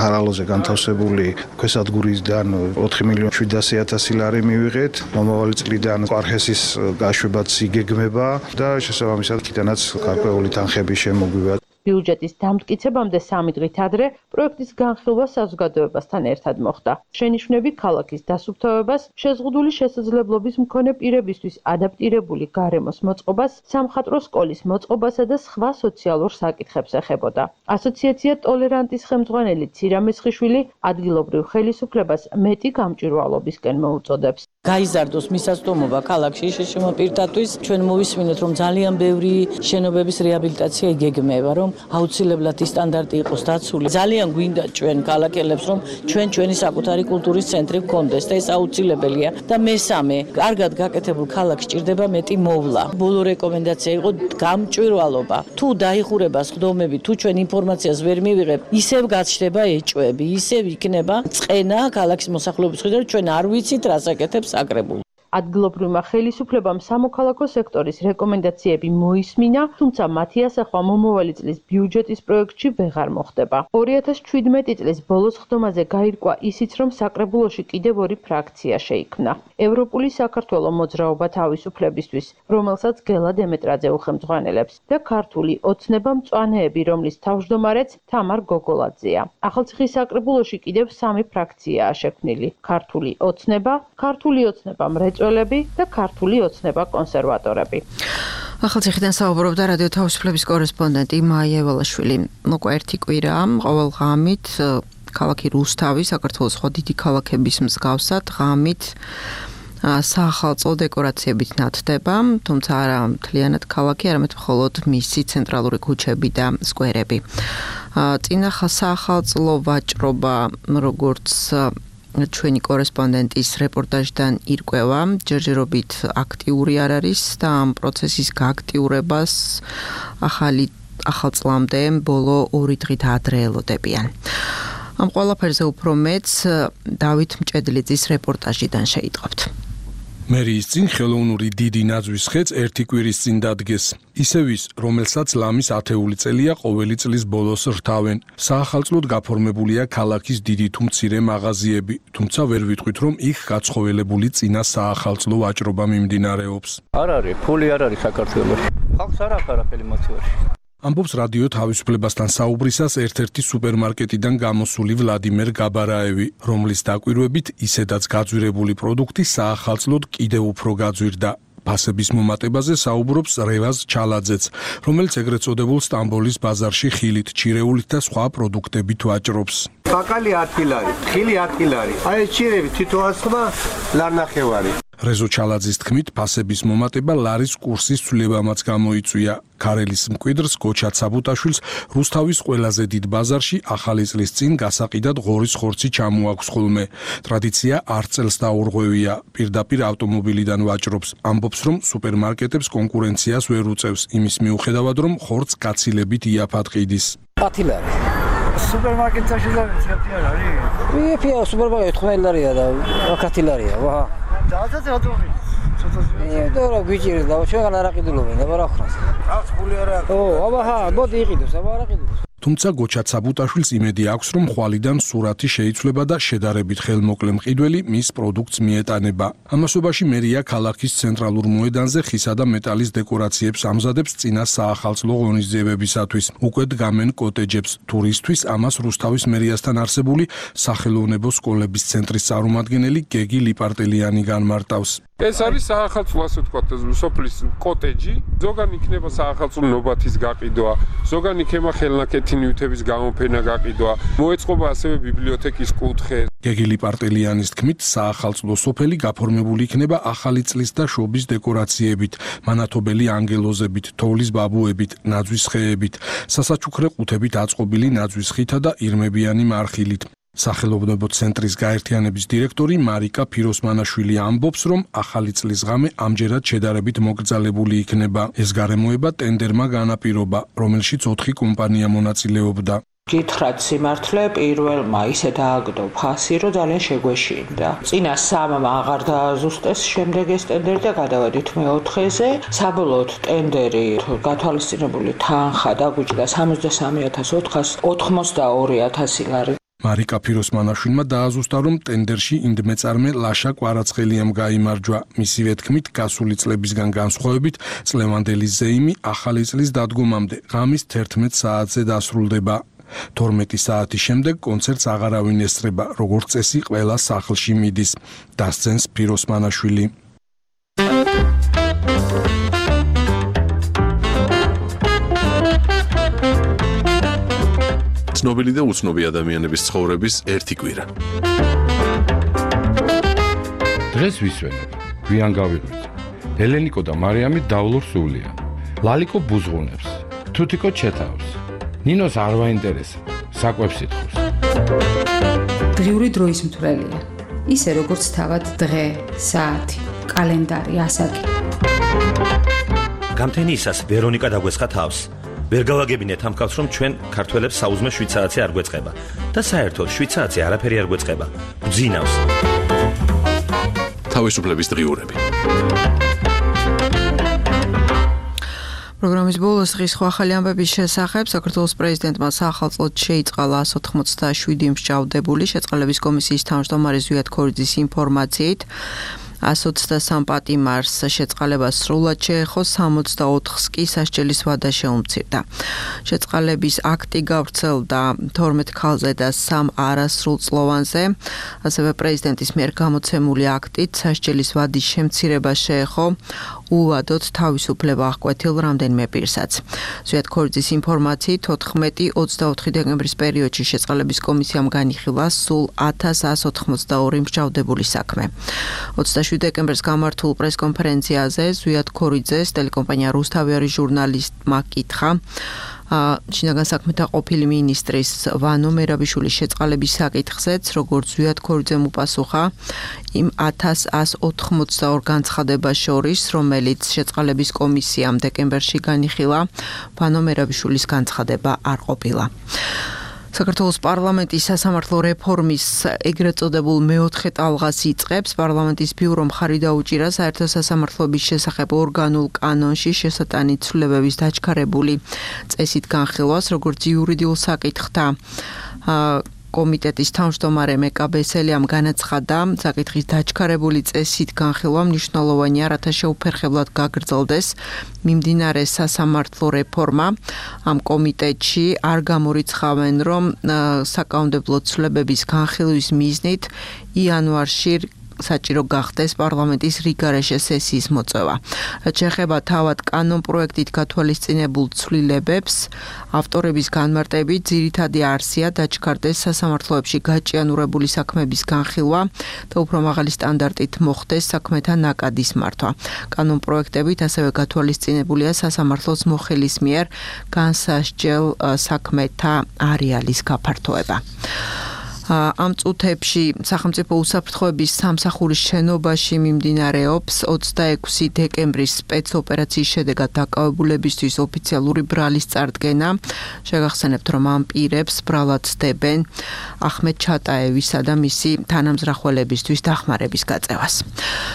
ჰარალოზე განთავსებული ქვესადგურიდან 4.700.000 ლარი მივიღეთ. მომავალი წლიდან ყარხესის გაშვებაც იგეგმება და შესაბამისად იქიდანაც გარკვეული თანხები შემოგვივა. ბიუჯეტის დამტკიცებამდე 3 დღით ადრე პროექტის განხილვა საზოგადოებასთან ერთად მოხდა. შენიშვნები ქალაქის დასუფთავებას, შეზღუდული შესაძლებლობის მქონე პირებისთვის ადაპტირებული გარემოს მოწყობას, სამხატვრო სკოლის მოწყობასა და სხვა სოციალურ საკითხებს ეხებოდა. ასოციაცია ტოლერანტის ხელმძღვანელი ცირა მესხიშვილი ადგილობრივ ხელისუფლებას მეტი გამჭვირვალობისკენ მოუწოდებს. გაიზარდოს მისაწვდომობა ქალაქში შეშმო პირთათვის ჩვენ მოვისმინეთ რომ ძალიან ბევრი შენობების რეაბილიტაცია იგეგმება რომ აუცილებლად ის სტანდარტი იყოს დაცული ძალიან გვინდა ჩვენ ქალაქელებს რომ ჩვენი საკუთარი კულტურის ცენტრი გქონდეს და ეს აუცილებელია და მესამე კარგად გაკეთებულ ქალაქს ჭირდება მეტი მოვლა ბოლო რეკომენდაცია იყო გამჭვირვალობა თუ დაიხურება სხდომები თუ ჩვენ ინფორმაციას ვერ მივიღებ ისევ გაჩნდება ეჭვები ისევ იქნება წყენა ქალაქის მოსახლეობის მხრიდან ჩვენ არ ვიცით რას აკეთებს საკრებულო. ადგილობრივმა ხელისუფლებამ სამოქალაქო სექტორის რეკომენდაციები მოისმინა, თუმცა მათი ასახვა მომავალი წლის ბიუჯეტის პროექტში ვეღარ მოხდება. 2017 წლის ბოლოს ხდომაზე გაირკვა ისიც, რომ საკრებულოში კიდევ 2 ფრაქცია შეიქმნა. ევროპული საქართველო მოძრაობა თავისუფლებისთვის, რომელსაც გელა დემეტრაძე უხელმძღვანელებს და ქართული ოცნება მწვანეები, რომლის თავმჯდომარეც თამარ გოგოლაძეა. ახალციხის საკრებულოში კიდევ 3 ფრაქციაა შექმნილი: ქართული ოცნება, ქართული ოცნება მრეწველები და ქართული ოცნება კონსერვატორები. ახალციხიდან საუბრობდა რადიო თავისუფლების კორესპონდენტი მაია ევალაშვილი. უკვე ერთი კვირაა, ყოველ ღამით ქალაქი რუსთავი, საქართველოს სხვა დიდი ქალაქების მსგავსად, ღამით საახალწლო დეკორაციებით ნათდება, თუმცა არა მთლიანად ქალაქი, არამედ მხოლოდ მისი ცენტრალური ქუჩები და სკვერები. წინა საახალწლო ვაჭრობა, როგორც ჩვენი კორესპონდენტის რეპორტაჟიდან ირკვევა, ჯერჯერობით აქტიური არ არის და ამ პროცესის გააქტიურებას ახალ წლამდე ბოლო 2 დღით ადრე ელოდებიან. ამ ყველაფერზე უფრო მეც დავით მჭედლიძის რეპორტაჟიდან შეიტყობთ. მერიის წინ ხელოვნური დიდი ნაძვის ხეც ერთი კვირის წინ დადგეს. ისევ ის, რომელსაც ლამის 10 წელია ყოველი წლის ბოლოს რთავენ. საახალწლოდ გაფორმებულია ქალაქის დიდი თუ მცირე მაღაზიები, თუმცა ვერ ვიტყვით, რომ იქ გაცხოველებული წინა საახალწლო ვაჭრობა მიმდინარეობს. არ არის, ფული არ არის საქართველოში. ხალხს არ აქვს არაფერი მოცივაში. ამბობს რადიო თავისუფლებასთან საუბრისას ერთ-ერთი სუპერმარკეტიდან გამოსული ვლადიმერ გაბარაევი, რომლის დაკვირვებით ისედაც გაძვირებული პროდუქტი საახალწლოდ კიდევ უფრო გაძვირდა. ფასების მომატებაზე საუბრობს რევაზ ჩალაძეც, რომელიც ეგრეთ წოდებულ სტამბოლის ბაზარში ხილით, ჩირეულით და სხვა პროდუქტებით ვაჭრობს. კაკალი 10 კილარი, ხილი 10 კილარი. აი ჭირები თითო 100 ლარნახევარი. რეზო ჩალაძის თქმით, ფასების მომატება ლარის კურსის ცვლილებამაც გამოიწვია. ქარელის მკვიდრს გოჩა ცაბუტაშვილს რუსთავის ყველაზე დიდ ბაზარში ახალი წლის წინ გასაყიდად ღორის ხორცი ჩამოაქვს ხოლმე. ტრადიცია არ წელს დაურღვევია, პირდაპირ ავტომობილიდან ვაჭრობს. ამბობს, რომ სუპერმარკეტებს კონკურენციას ვერ უწევს, იმის მიუხედავად, რომ ხორცს გაცილებით იაფად ყიდის. კათილარი. სუპერმარკეტში და არის? ვიფია სუპერმარკეტი 15 ლარია და კათილარია, ვა. დააძაც ავტომობილი. დორა ბიჭი და ჩვენ არ აყიდულობენ და რა ხრას. აქვს ფული არ აქვს. ო, აბა, მოდი იყიდოს, აბა არ აყიდოს. თუმცა გოჩა ცაბუტაშვილს იმედი აქვს, რომ ხვალიდან სურათი შეიცვლება და შედარებით ხელმოკლე მყიდველი მის პროდუქტს მიეტანება. ამასობაში მერია ქალაქის ცენტრალურ მოედანზე ხისა და მეტალის დეკორაციებს ამზადებს წინა საახალწლო ღონისძიებებისათვის. უკვე დგამენ კოტეჯებს. ტურისთვის ამას რუსთავის მერიასთან არსებული სახელოვნებო სკოლების ცენტრის წარმომადგენელი გეგი ლიპარტელიანი განმარტავს. ეს არის საახალწლო, ასე ვთქვათ, სოფლის კოტეჯი. ზოგან იქნება საახალწლო ნობათის გაყიდვა, ზოგან იქნება ხელნაკეთი ნივთების გამოფენა გაყიდვა. მოეწყობა ასევე ბიბლიოთეკის კუთხე. გეგი ლიპარტელიანის თქმით, საახალწლო სოფელი გაფორმებული იქნება ახალი წლის და შობის დეკორაციებით, მანათობელი ანგელოზებით, თოვლის ბაბუებით, ნაძვის ხეებით, სასაჩუქრე ყუთებით აწყობილი ნაძვის ხითა და ირმებიანი მარხილით. სახელოვნებო ცენტრის გაერთიანების დირექტორი მარიკა ფიროსმანაშვილი ამბობს, რომ ახალი წლის ღამე ამჯერად შედარებით მოკრძალებული იქნება. ეს გარემოება ტენდერმა განაპირობა, რომელშიც 4 კომპანია მონაწილეობდა. გითხრათ სიმართლე, პირველმა ისე დააგდო ფასი, რომ ძალიან შეგვეშინდა. წინა 3-მა აღარ დააზუსტეს შემდეგ ეს ტენდერი და გადავედით მე-4-ზე. საბოლოოდ ტენდერი გათვალისწინებული თანხა დაგვიჭდა 63,482 ლარი. მარიკა ფიროსმანაშვილმა დააზუსტა, რომ ტენდერში ინდმეწარმე ლაშა კვარაცხელიამ გაიმარჯვა. მისივე თქმით, გასული წლებისგან განსხვავებით, წლევანდელი ზეიმი ახალი წლის დადგომამდე ღამის 11 საათზე დასრულდება. 12 საათის შემდეგ კონცერტს აღარავინ ესწრება, როგორც წესი ყველა სახლში მიდის. დასცენს ფიროსმანაშვილი. ცნობილი და უცნობი ადამიანების ცხოვრების ერთი კვირა. დღეს ვისვენებ, გვიან გავიღვიძე. ელენიკო და მარიამი დავლურ სულიან. ლალიკო ბუზღუნებს, თუთიკო ჩეთავს. ნინოს არ ვაინტერესებს, საკვებს ითხოვს. დღიური დროის მთვრელია. ისე როგორც თავად დღე, საათი, კალენდარი, ასაკი. გამთენიისას ვერონიკა დაგვესხა თავს. ვერ გავაგებინეთ ამ კაცს, რომ ჩვენ ქართველებს საუზმე შვიცარაცი არ გვეწყება და საერთოდ შვიცარაცი არაფერი არ გვეწყება. გძინავს. თავისუფლების დღიურები. პროგრამის ბოლოს ღირს ახალი ამბების შესახებ საქართველოს პრეზიდენტმა საახალწლოდ შეიწყალა 187 მსჯავრდებული შეწყალების კომისიის თავმჯდომარე ზვიად ქორიძის ინფორმაციით 123 პატიმარს შეწყალება სრულად შეეხო, 64-ს კი სასჯელის ვადა შეუმცირდა. შეწყალების აქტი გავრცელდა 12 ქალზე და 3 არასრულწლოვანზე. ასევე პრეზიდენტის მიერ გამოცემული აქტით სასჯელის ვადის შემცირება შეეხო უვადოდ თავისუფლება აღკვეთილ რამდენიმე პირსაც. ზვიად ქორიძის ინფორმაციით 14-24 დეკემბრის პერიოდში შეწყალების კომისიამ განიხილა სულ 1182 მსჯავრდებული საქმე. 27 დეკემბერს გამართულ პრესკონფერენციაზე ზვიად ქორიძეს ტელეკომპანია რუსთავი არის ჟურნალისტმა კითხა შინაგან საქმეთა ყოფილი მინისტრის ვანო მერაბიშვილის შეწყალების საკითხზეც, როგორც ზვიად ქორიძემ უპასუხა იმ 1182 განცხადებას შორის, რომელიც შეწყალების კომისიამ დეკემბერში განიხილა, ვანო მერაბიშვილის განცხადება არ ყოფილა. საქართველოს პარლამენტის სასამართლო რეფორმის ეგრეთ წოდებულ მეოთხე ტალღას იწყებს. პარლამენტის ბიურომ ხარი დაუჭირა საერთო სასამართლოების შესახებ ორგანულ კანონში შესატანი ცვლილებების დაჩქარებული წესით განხილვას, როგორც იურიდიულ საკითხთა კომიტეტის თავმჯდომარე მეკაბესელიამ განაცხადა, საკითხის დაჩქარებული წესით განხილვა მნიშვნელოვანია, რათა შეუფერხებლად გაგრძელდეს მიმდინარე სასამართლო რეფორმა. ამ კომიტეტში არ გამორიცხავენ, რომ საკანონმდებლო ცვლილებების განხილვის მიზნით იანვარში საჭირო გახდეს პარლამენტის რიგარეშე სესიის მოწევა. რაც შეეხება თავად კანონ პროექტით გათვალისწინებულ ცვლილებებს, ავტორების განმარტებით ძირითადი არსია დაჩქარდეს სასამართლოებში გაჭიანურებული საქმეების განხილვა და უფრო მაღალი სტანდარტით მოხდეს საქმეთა ნაკადის მართვა. კანონ პროექტებით ასევე გათვალისწინებულია სასამართლოს მოხელის მიერ განსასჯელ საქმეთა არეალის გაფართოება. ამ წუთებში სახელმწიფო უსაფრთხოების სამსახურის შენობაში მიმდინარეობს 26 დეკემბრის სპეცოპერაციის შედეგად დაკავებულებისთვის ოფიციალური ბრალის წარდგენა. შეგახსენებთ, რომ ამ პირებს ბრალად ცდებენ ახმედ ჩატაევისა და მისი თანამზრახველებისთვის დახმარების გაწევას.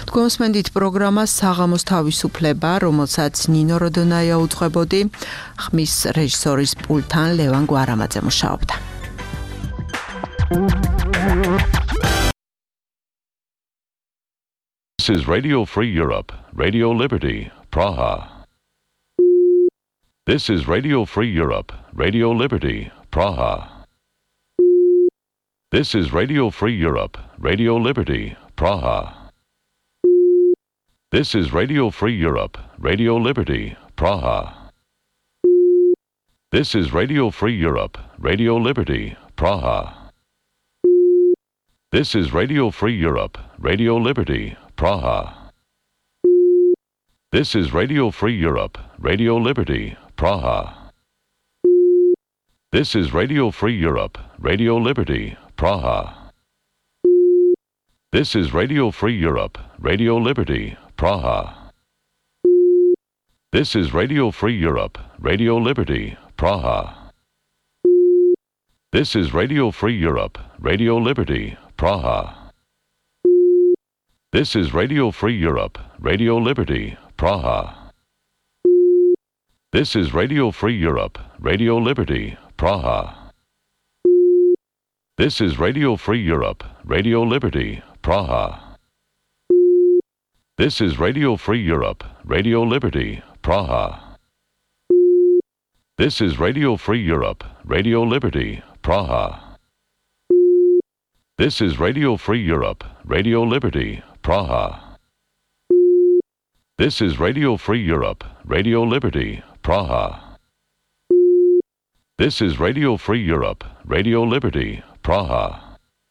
თქვენ უსმენთ პროგრამას საღამოს თავისუფლება, რომელსაც ნინო როდონაია უძღვებოდი, ხმის რეჟისორის პულტთან ლევან გვარამაძე მუშაობდა. This is Radio Free Europe, Radio Liberty, Praha. This is Radio Free Europe, Radio Liberty, Praha. This is Radio Free Europe, Radio Liberty, Praha. This is Radio Free Europe, Radio Liberty, Praha. This is Radio Free Europe, Radio Liberty, Praha. This is Radio Free Europe, Radio Liberty, Praha. This is Radio Free Europe, Radio Liberty, Praha. This is Radio Free Europe, Radio Liberty, Praha. This is Radio Free Europe, Radio Liberty, Praha. This is Radio Free Europe, Radio Liberty, Praha. This is Radio Free Europe, Radio Liberty, Praha. This is Radio Free Europe, Radio Liberty, Praha. This is Radio Free Europe, Radio Liberty, Praha. This is Radio Free Europe, Radio Liberty, Praha. This is Radio Free Europe, Radio Liberty, Praha. This is Radio Free Europe, Radio Liberty, Praha. This is Radio Free Europe, Radio Liberty, Praha. This is Radio Free Europe, Radio Liberty, Praha.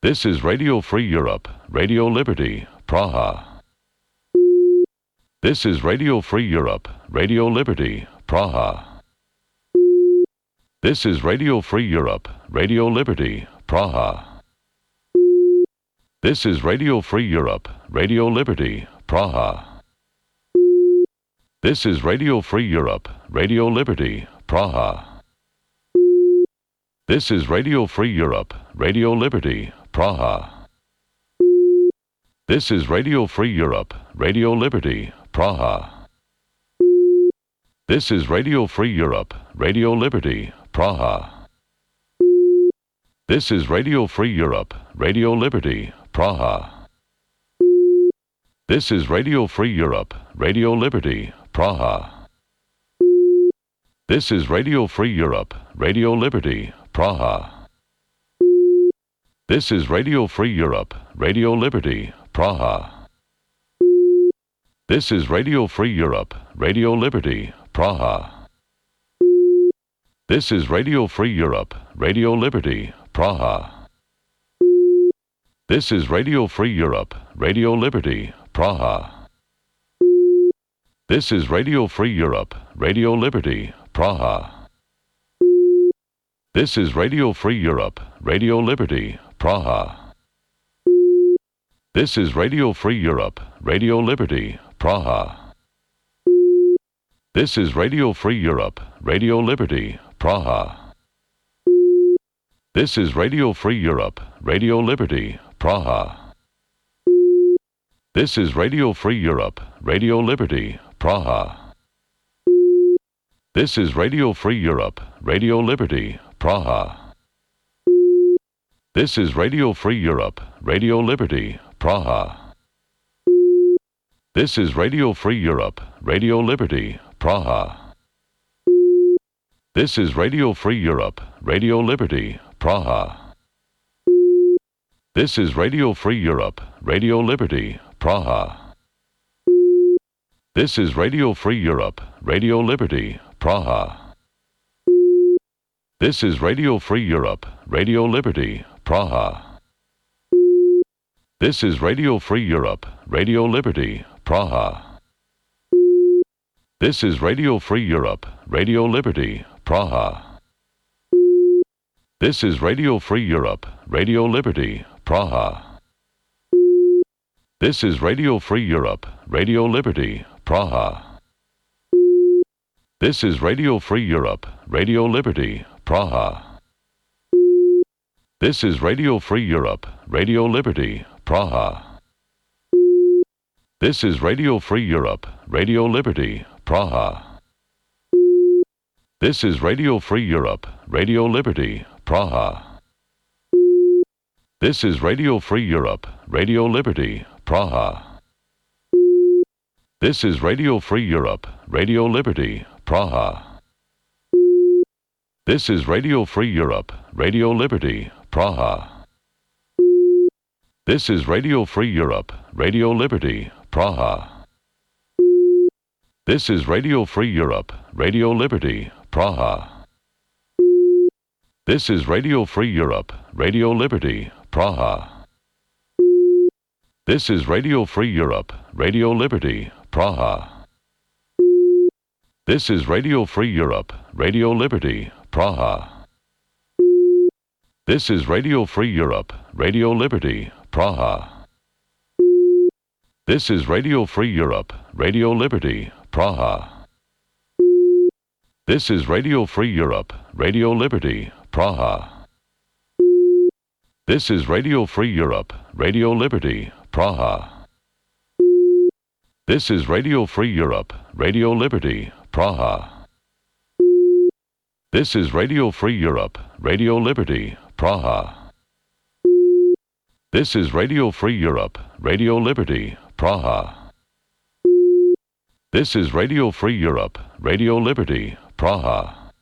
This is Radio Free Europe, Radio Liberty, Praha. This is Radio Free Europe, Radio Liberty, Praha. This is Radio Free Europe, Radio Liberty, Praha. This is Radio Free Europe, Radio Liberty, Praha. This is Radio Free Europe, Radio Liberty, Praha. This is Radio Free Europe, Radio Liberty, Praha. This is Radio Free Europe, Radio Liberty, Praha. This is Radio Free Europe, Radio Liberty, Praha. This is Radio Free Europe, Radio Liberty, Praha. This is Radio Free Europe, Radio Liberty, Praha. This is Radio Free Europe, Radio Liberty, Praha. This is Radio Free Europe, Radio Liberty, Praha. This is Radio Free Europe, Radio Liberty, Praha. This is Radio Free Europe, Radio Liberty, Praha. This is Radio Free Europe, Radio Liberty, Praha. This is Radio Free Europe, Radio Liberty, Praha. This is Radio Free Europe, Radio Liberty, Praha. This is Radio Free Europe, Radio Liberty, Praha. This is Radio Free Europe, Radio Liberty, Praha. This is Radio Free Europe, Radio Liberty, Praha. This is Radio Free Europe, Radio Liberty, Praha. This is Radio Free Europe, Radio Liberty, Praha. This is Radio Free Europe, Radio Liberty, Praha. This is Radio Free Europe, Radio Liberty, Praha. This is Radio Free Europe, Radio Liberty, Praha. This is Radio Free Europe, Radio Liberty, Praha. This is Radio Free Europe, Radio Liberty, Praha. This is Radio Free Europe, Radio Liberty, Praha. This is Radio Free Europe, Radio Liberty, Praha. This is Radio Free Europe, Radio Liberty, Praha. This is Radio Free Europe, Radio Liberty, Praha. This is Radio Free Europe, Radio Liberty, Praha. This is Radio Free Europe, Radio Liberty, Praha. This is Radio Free Europe, Radio Liberty, Praha. This is Radio Free Europe, Radio Liberty, Praha. This is Radio Free Europe, Radio Liberty, Praha. This is Radio Free Europe, Radio Liberty, Praha. This is Radio Free Europe, Radio Liberty, Praha. This is Radio Free Europe, Radio Liberty, Praha. This is Radio Free Europe, Radio Liberty, Praha. This is Radio Free Europe, Radio Liberty, Praha. This is Radio Free Europe, Radio Liberty, Praha. This is Radio Free Europe, Radio Liberty, Praha. This is Radio Free Europe, Radio Liberty, Praha. This is Radio Free Europe, Radio Liberty, Praha. This is Radio Free Europe, Radio Liberty, Praha. This is Radio Free Europe, Radio Liberty, Praha. This is Radio Free Europe, Radio Liberty, Praha. This is Radio Free Europe, Radio Liberty, Praha. This is Radio Free Europe, Radio Liberty, Praha. This is Radio Free Europe, Radio Liberty, Praha. This is Radio Free Europe, Radio Liberty, Praha. This is Radio Free Europe, Radio Liberty, Praha.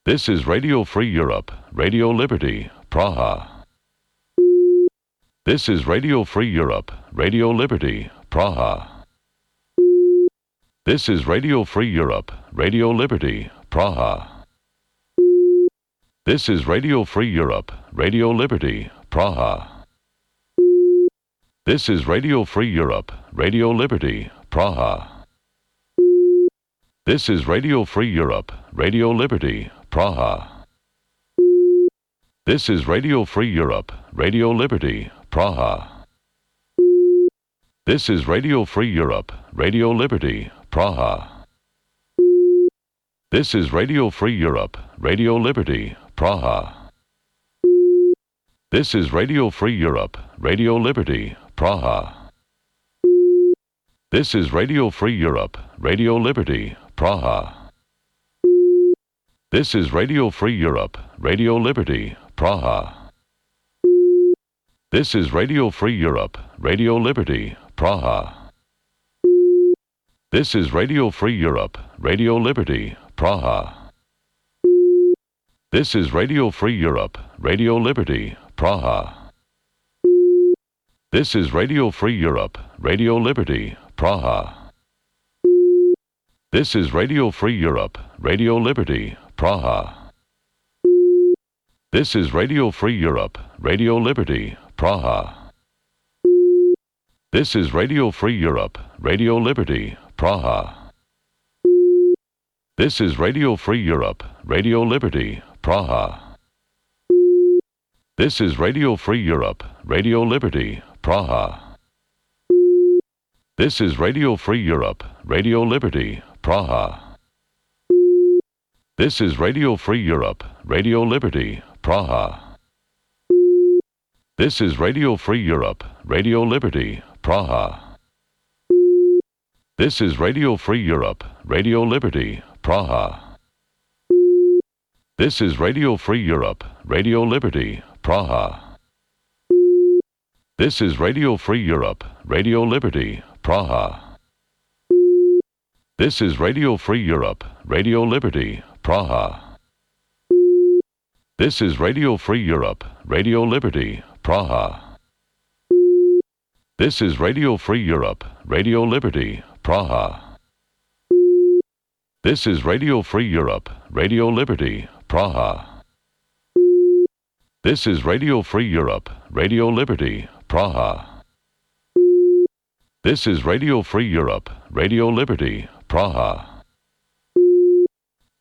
This is Radio Free Europe, Radio Liberty, Praha. This is Radio Free Europe, Radio Liberty, Praha. This is Radio Free Europe, Radio Liberty, Praha. This is Radio Free Europe, Radio Liberty, Praha. This is Radio Free Europe, Radio Liberty, Praha. This is Radio Free Europe, Radio Liberty, Praha. This is Radio Free Europe, Radio Liberty, Praha. This is Radio Free Europe, Radio Liberty, Praha. This is Radio Free Europe, Radio Liberty, Praha. This is Radio Free Europe, Radio Liberty, Praha. This is Radio Free Europe, Radio Liberty, Praha. This is Radio Free Europe, Radio Liberty, Praha. This is Radio Free Europe, Radio Liberty, Praha. This is Radio Free Europe, Radio Liberty, Praha. This is Radio Free Europe, Radio Liberty, Praha. This is Radio Free Europe, Radio Liberty, Praha. This is Radio Free Europe, Radio Liberty, Praha. This is Radio Free Europe, Radio Liberty, Praha. This is Radio Free Europe, Radio Liberty, Praha. This is Radio Free Europe, Radio Liberty, Praha. This is Radio Free Europe, Radio Liberty, Praha. This is Radio Free Europe, Radio Liberty, Praha. This is Radio Free Europe, Radio Liberty, Praha. This is Radio Free Europe, Radio Liberty, Praha. This is Radio Free Europe, Radio Liberty, Praha. This is Radio Free Europe, Radio Liberty, Praha. This is Radio Free Europe, Radio Liberty, Praha. This is Radio Free Europe, Radio Liberty, Praha. This is Radio Free Europe, Radio Liberty, Praha. This is Radio Free Europe, Radio Liberty, Praha. This is Radio Free Europe, Radio Liberty, Praha. This is Radio Free Europe, Radio Liberty, Praha. This is Radio Free Europe, Radio Liberty, Praha.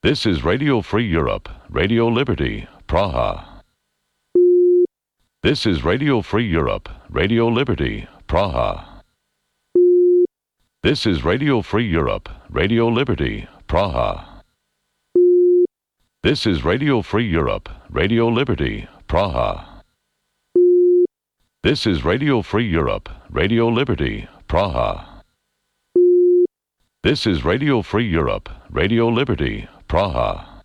This is Radio Free Europe, Radio Liberty, Praha. This is Radio Free Europe, Radio Liberty, Praha. This is Radio Free Europe, Radio Liberty, Praha. This is Radio Free Europe, Radio Liberty, Praha. This is Radio Free Europe, Radio Liberty, Praha. This is Radio Free Europe, Radio Liberty, Praha.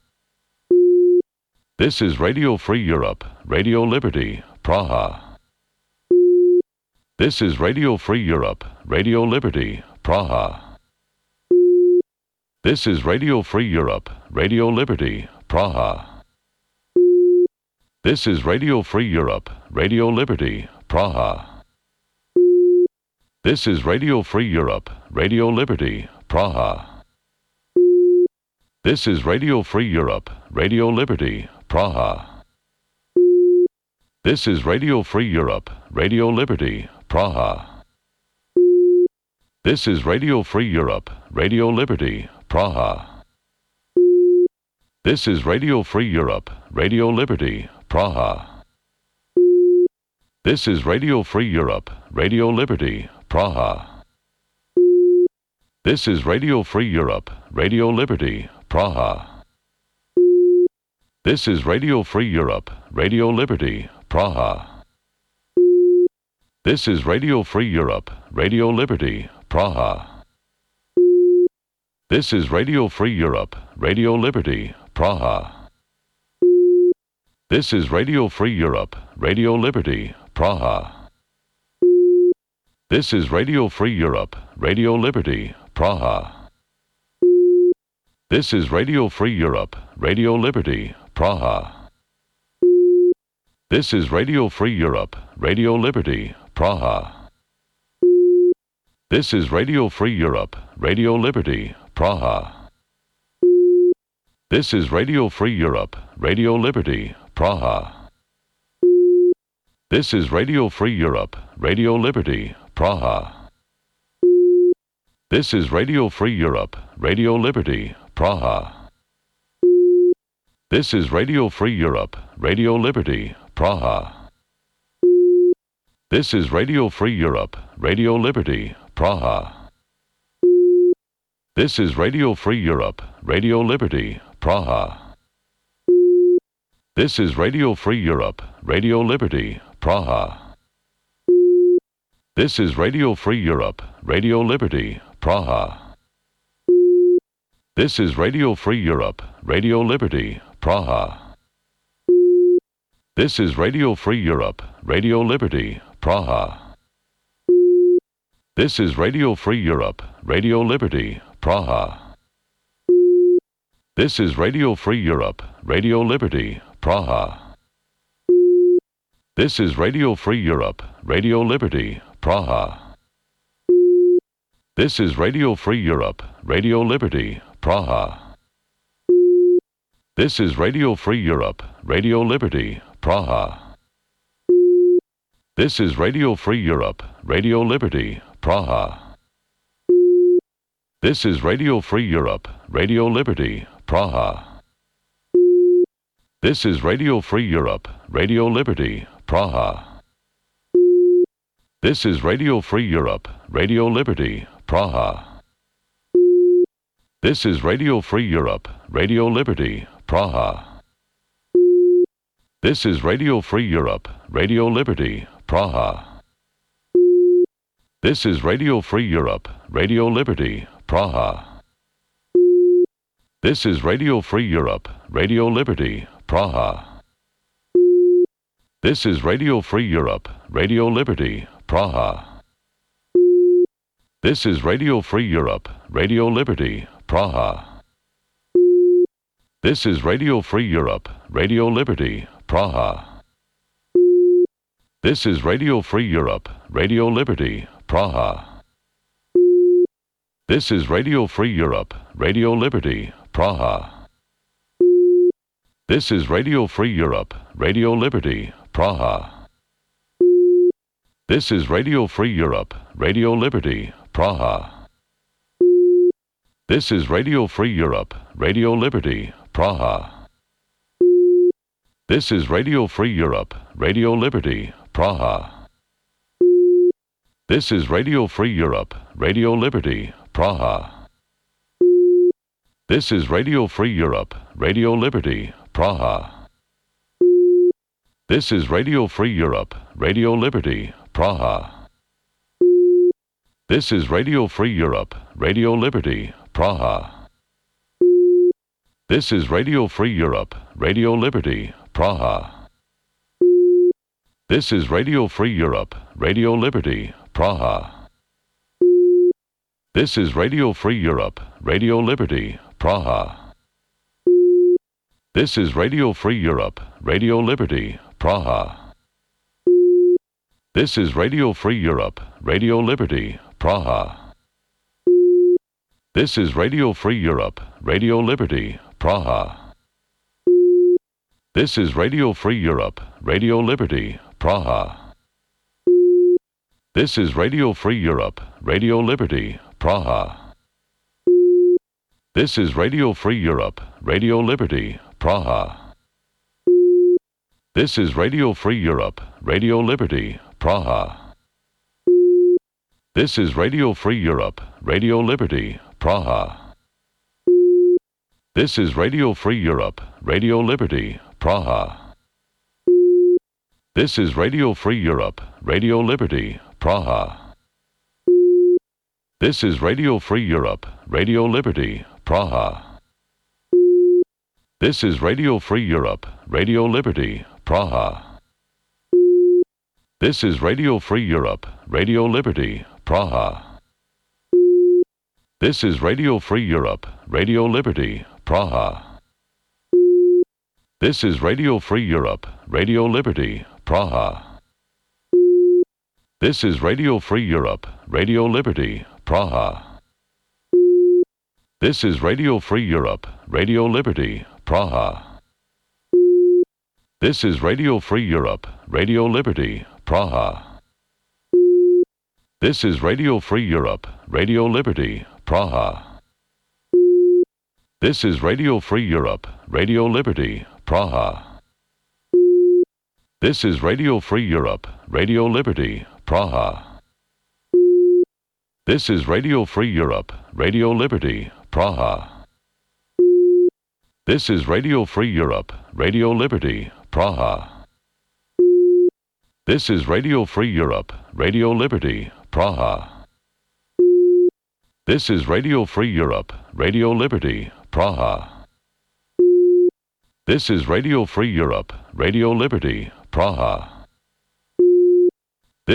This is Radio Free Europe, Radio Liberty, Praha. This is Radio Free Europe, Radio Liberty, Praha. This is Radio Free Europe, Radio Liberty, Praha. This is Radio Free Europe, Radio Liberty, Praha. This is Radio Free Europe, Radio Liberty, Praha. This is Radio Free Europe, Radio Liberty, Praha. This is Radio Free Europe, Radio Liberty, Praha. This is Radio Free Europe, Radio Liberty, Praha. This is Radio Free Europe, Radio Liberty, Praha. This is Radio Free Europe, Radio Liberty, Praha. This is Radio Free Europe, Radio Liberty, Praha. This is Radio Free Europe, Radio Liberty, Praha. This is Radio Free Europe, Radio Liberty, Praha. This is Radio Free Europe, Radio Liberty, Praha. This is Radio Free Europe, Radio Liberty, Praha. This is Radio Free Europe, Radio Liberty, Praha. This is Radio Free Europe, Radio Liberty, Praha. This is Radio Free Europe, Radio Liberty, Praha. This is Radio Free Europe, Radio Liberty, Praha. This is Radio Free Europe, Radio Liberty, Praha. This is Radio Free Europe, Radio Liberty, Praha. This is Radio Free Europe, Radio Liberty, Praha. This is Radio Free Europe, Radio Liberty, Praha. This is Radio Free Europe, Radio Liberty, Praha. This is Radio Free Europe, Radio Liberty, Praha. This is Radio Free Europe, Radio Liberty, Praha. This is Radio Free Europe, Radio Liberty, Praha. This is Radio Free Europe, Radio Liberty, Praha. This is Radio Free Europe, Radio Liberty, Praha. This is Radio Free Europe, Radio Liberty, Praha. This is Radio Free Europe, Radio Liberty, Praha. This is Radio Free Europe, Radio Liberty, Praha. This is Radio Free Europe, Radio Liberty, Praha. This is Radio Free Europe, Radio Liberty, Praha. This is Radio Free Europe, Radio Liberty, Praha. This is Radio Free Europe, Radio Liberty, Praha. This is Radio Free Europe, Radio Liberty, Praha. This is Radio Free Europe, Radio Liberty, Praha. This is Radio Free Europe, Radio Liberty, Praha. This is Radio Free Europe, Radio Liberty, Praha. This is Radio Free Europe, Radio Liberty, Praha. This is Radio Free Europe, Radio Liberty, Praha. This is Radio Free Europe, Radio Liberty, Praha. This is Radio Free Europe, Radio Liberty, Praha. This is Radio Free Europe, Radio Liberty, Praha. This is Radio Free Europe, Radio Liberty, Praha. This is Radio Free Europe, Radio Liberty, Praha. This is Radio Free Europe, Radio Liberty, Praha. This is Radio Free Europe, Radio Liberty, Praha. This is Radio Free Europe, Radio Liberty, Praha. This is Radio Free Europe, Radio Liberty, Praha. This is Radio Free Europe, Radio Liberty, Praha. This is Radio Free Europe, Radio Liberty, Praha. This is Radio Free Europe, Radio Liberty, Praha. This is Radio Free Europe, Radio Liberty, Praha. This is Radio Free Europe, Radio Liberty, Praha. This is Radio Free Europe, Radio Liberty, Praha. This is Radio Free Europe, Radio Liberty, Praha. This is Radio Free Europe, Radio Liberty, Praha. This is Radio Free Europe, Radio Liberty, Praha. This is Radio Free Europe, Radio Liberty, Praha. This is Radio Free Europe, Radio Liberty, Praha. This is Radio Free Europe, Radio Liberty, Praha. This is Radio Free Europe, Radio Liberty, Praha. This is Radio Free Europe, Radio Liberty, Praha. This is Radio Free Europe, Radio Liberty, Praha. This is Radio Free Europe, Radio Liberty, Praha. This is Radio Free Europe, Radio Liberty, Praha. This is Radio Free Europe, Radio Liberty, Praha. This is Radio Free Europe, Radio Liberty, Praha. This is Radio Free Europe, Radio Liberty, Praha. This is Radio Free Europe, Radio Liberty, Praha. This is Radio Free Europe, Radio Liberty, Praha. This is Radio Free Europe, Radio Liberty, Praha. This is Radio Free Europe, Radio Liberty, Praha. This is Radio Free Europe, Radio Liberty, Praha. This is Radio Free Europe, Radio Liberty, Praha. This is Radio Free Europe, Radio Liberty, Praha. This is Radio Free Europe, Radio Liberty, Praha. This is Radio Free Europe, Radio Liberty, Praha. This is Radio Free Europe, Radio Liberty, Praha. This is Radio Free Europe, Radio Liberty, Praha. This is Radio Free Europe, Radio Liberty, Praha. This is Radio Free Europe, Radio Liberty, Praha.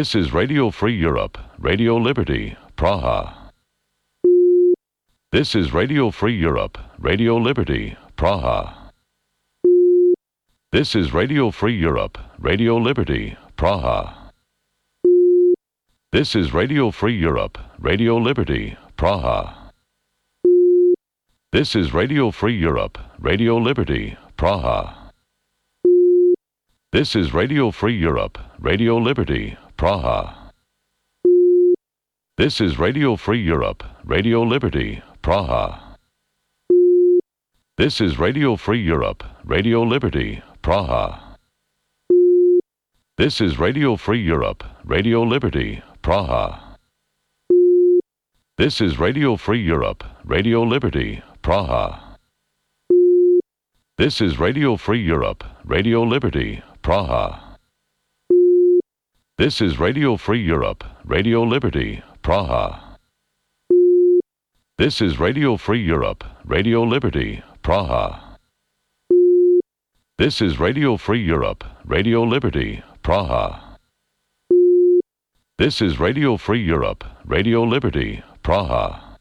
This is Radio Free Europe, Radio Liberty, Praha. This is Radio Free Europe, Radio Liberty, Praha. This is Radio Free Europe, Radio Liberty, Praha. This is Radio Free Europe, Radio Liberty, Praha. This is Radio Free Europe, Radio Liberty, Praha. This is Radio Free Europe, Radio Liberty, Praha. This is Radio Free Europe, Radio Liberty, Praha. This is Radio Free Europe, Radio Liberty, Praha. This is Radio Free Europe, Radio Liberty, Praha. This is Radio Free Europe, Radio Liberty, Praha. This is Radio Free Europe, Radio Liberty, Praha. This is Radio Free Europe, Radio Liberty, Praha. This is Radio Free Europe, Radio Liberty, Praha. This is Radio Free Europe, Radio Liberty, Praha. This is Radio Free Europe, Radio Liberty, Praha.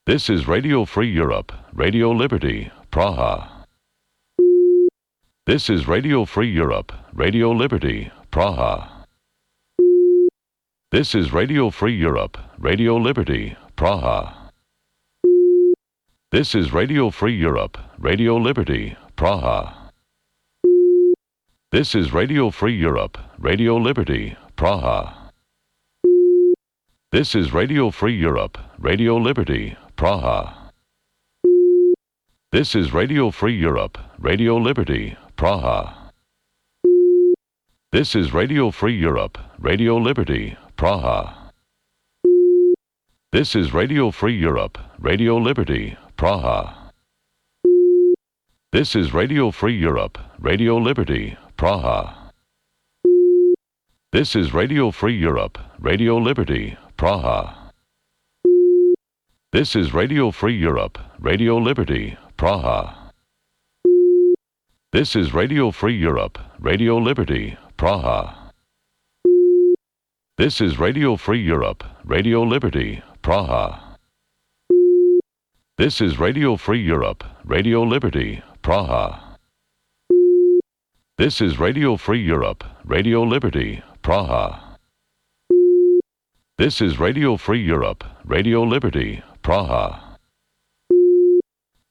This is Radio Free Europe, Radio Liberty, Praha. This is Radio Free Europe, Radio Liberty, Praha. This is Radio Free Europe, Radio Liberty, Praha. This is Radio Free Europe, Radio Liberty, Praha. This is Radio Free Europe, Radio Liberty, Praha. This is Radio Free Europe, Radio Liberty, Praha. This is Radio Free Europe, Radio Liberty, Praha. This is Radio Free Europe, Radio Liberty, Praha. This is Radio Free Europe, Radio Liberty, Praha. This is Radio Free Europe, Radio Liberty, Praha. This is Radio Free Europe, Radio Liberty, Praha. This is Radio Free Europe, Radio Liberty, Praha. This is Radio Free Europe, Radio Liberty, Praha. This is Radio Free Europe, Radio Liberty, Praha. This is Radio Free Europe, Radio Liberty, Praha. This is Radio Free Europe, Radio Liberty, Praha. This is Radio Free Europe, Radio Liberty, Praha.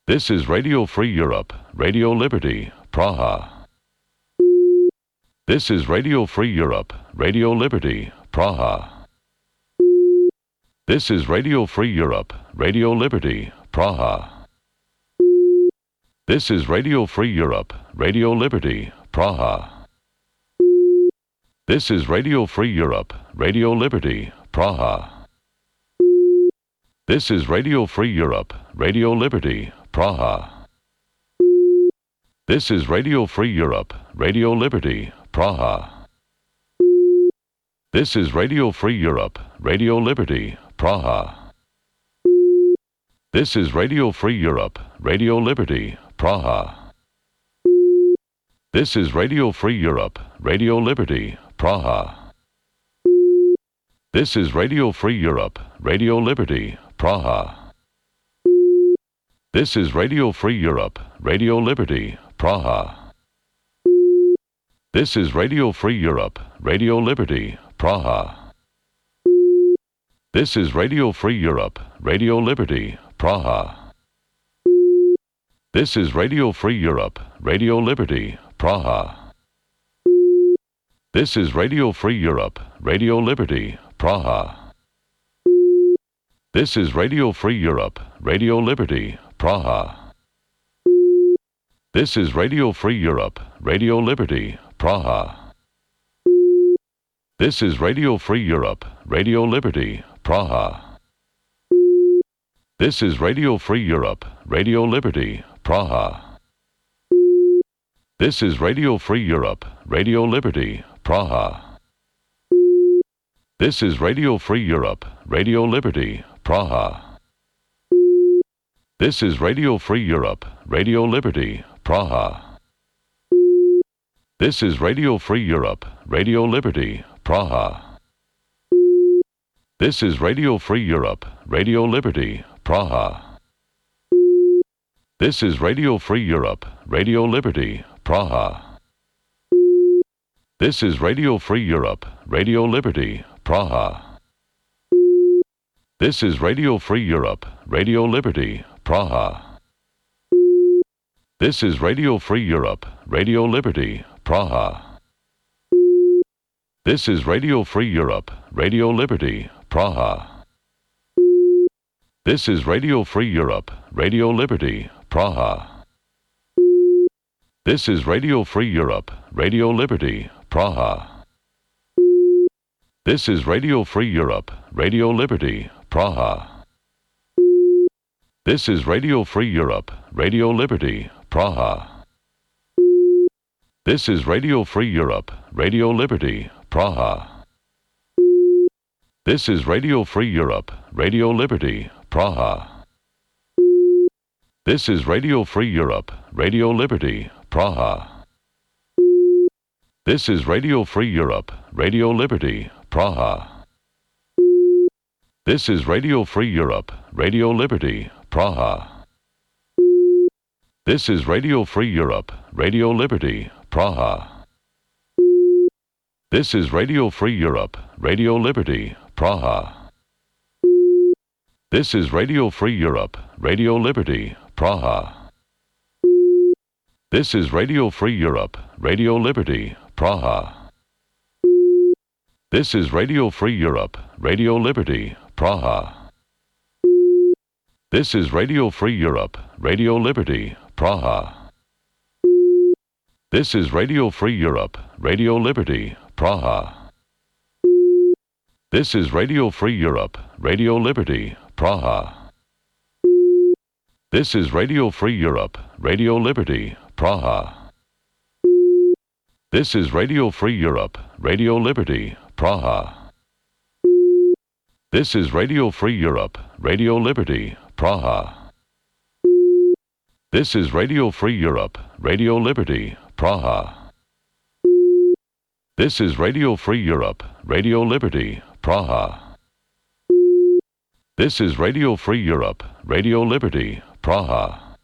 This is Radio Free Europe, Radio Liberty, Praha. This is Radio Free Europe, Radio Liberty, Praha. This is Radio Free Europe, Radio Liberty, Praha. This is Radio Free Europe, Radio Liberty, Praha. This is Radio Free Europe, Radio Liberty, Praha. This is Radio Free Europe, Radio Liberty, Praha. This is Radio Free Europe, Radio Liberty, Praha. This is Radio Free Europe, Radio Liberty, Praha. This is Radio Free Europe, Radio Liberty, Praha. This is Radio Free Europe, Radio Liberty, Praha. This is Radio Free Europe, Radio Liberty, Praha. This is Radio Free Europe, Radio Liberty, Praha. This is Radio Free Europe, Radio Liberty, Praha. This is Radio Free Europe, Radio Liberty, Praha. This is Radio Free Europe, Radio Liberty, Praha. This is Radio Free Europe, Radio Liberty, Praha. This is Radio Free Europe, Radio Liberty, Praha. This is Radio Free Europe, Radio Liberty, Praha. This is Radio Free Europe, Radio Liberty, Praha. This is Radio Free Europe, Radio Liberty, Praha. This is Radio Free Europe, Radio Liberty, Praha. This is Radio Free Europe, Radio Liberty, Praha. This is Radio Free Europe, Radio Liberty, Praha. This is Radio Free Europe, Radio Liberty, Praha. This is Radio Free Europe, Radio Liberty, Praha. This is Radio Free Europe, Radio Liberty, Praha. This is Radio Free Europe, Radio Liberty, Praha. This is Radio Free Europe, Radio Liberty, Praha. This is Radio Free Europe, Radio Liberty, Praha. This is Radio Free Europe, Radio Liberty, Praha. This is Radio Free Europe, Radio Liberty, Praha. This is Radio Free Europe, Radio Liberty, Praha. This is Radio Free Europe, Radio Liberty, Praha. This is Radio Free Europe, Radio Liberty, Praha. This is Radio Free Europe, Radio Liberty, Praha. This is Radio Free Europe, Radio Liberty, Praha. This is Radio Free Europe, Radio Liberty, Praha. This is Radio Free Europe, Radio Liberty, Praha. This is Radio Free Europe, Radio Liberty, Praha. This is Radio Free Europe, Radio Liberty, Praha. This is Radio Free Europe, Radio Liberty, Praha. This is Radio Free Europe, Radio Liberty, Praha. This is Radio Free Europe, Radio Liberty, Praha. This is Radio Free Europe, Radio Liberty, Praha. This is Radio Free Europe, Radio Liberty, Praha. This is Radio Free Europe, Radio Liberty, Praha. This is Radio Free Europe, Radio Liberty, Praha. This is Radio Free Europe, Radio Liberty, Praha. This is Radio Free Europe, Radio Liberty, Praha. This is Radio Free Europe, Radio Liberty, Praha. This is Radio Free Europe, Radio Liberty, Praha. This is Radio Free Europe, Radio Liberty, Praha. This is Radio Free Europe, Radio Liberty, Praha.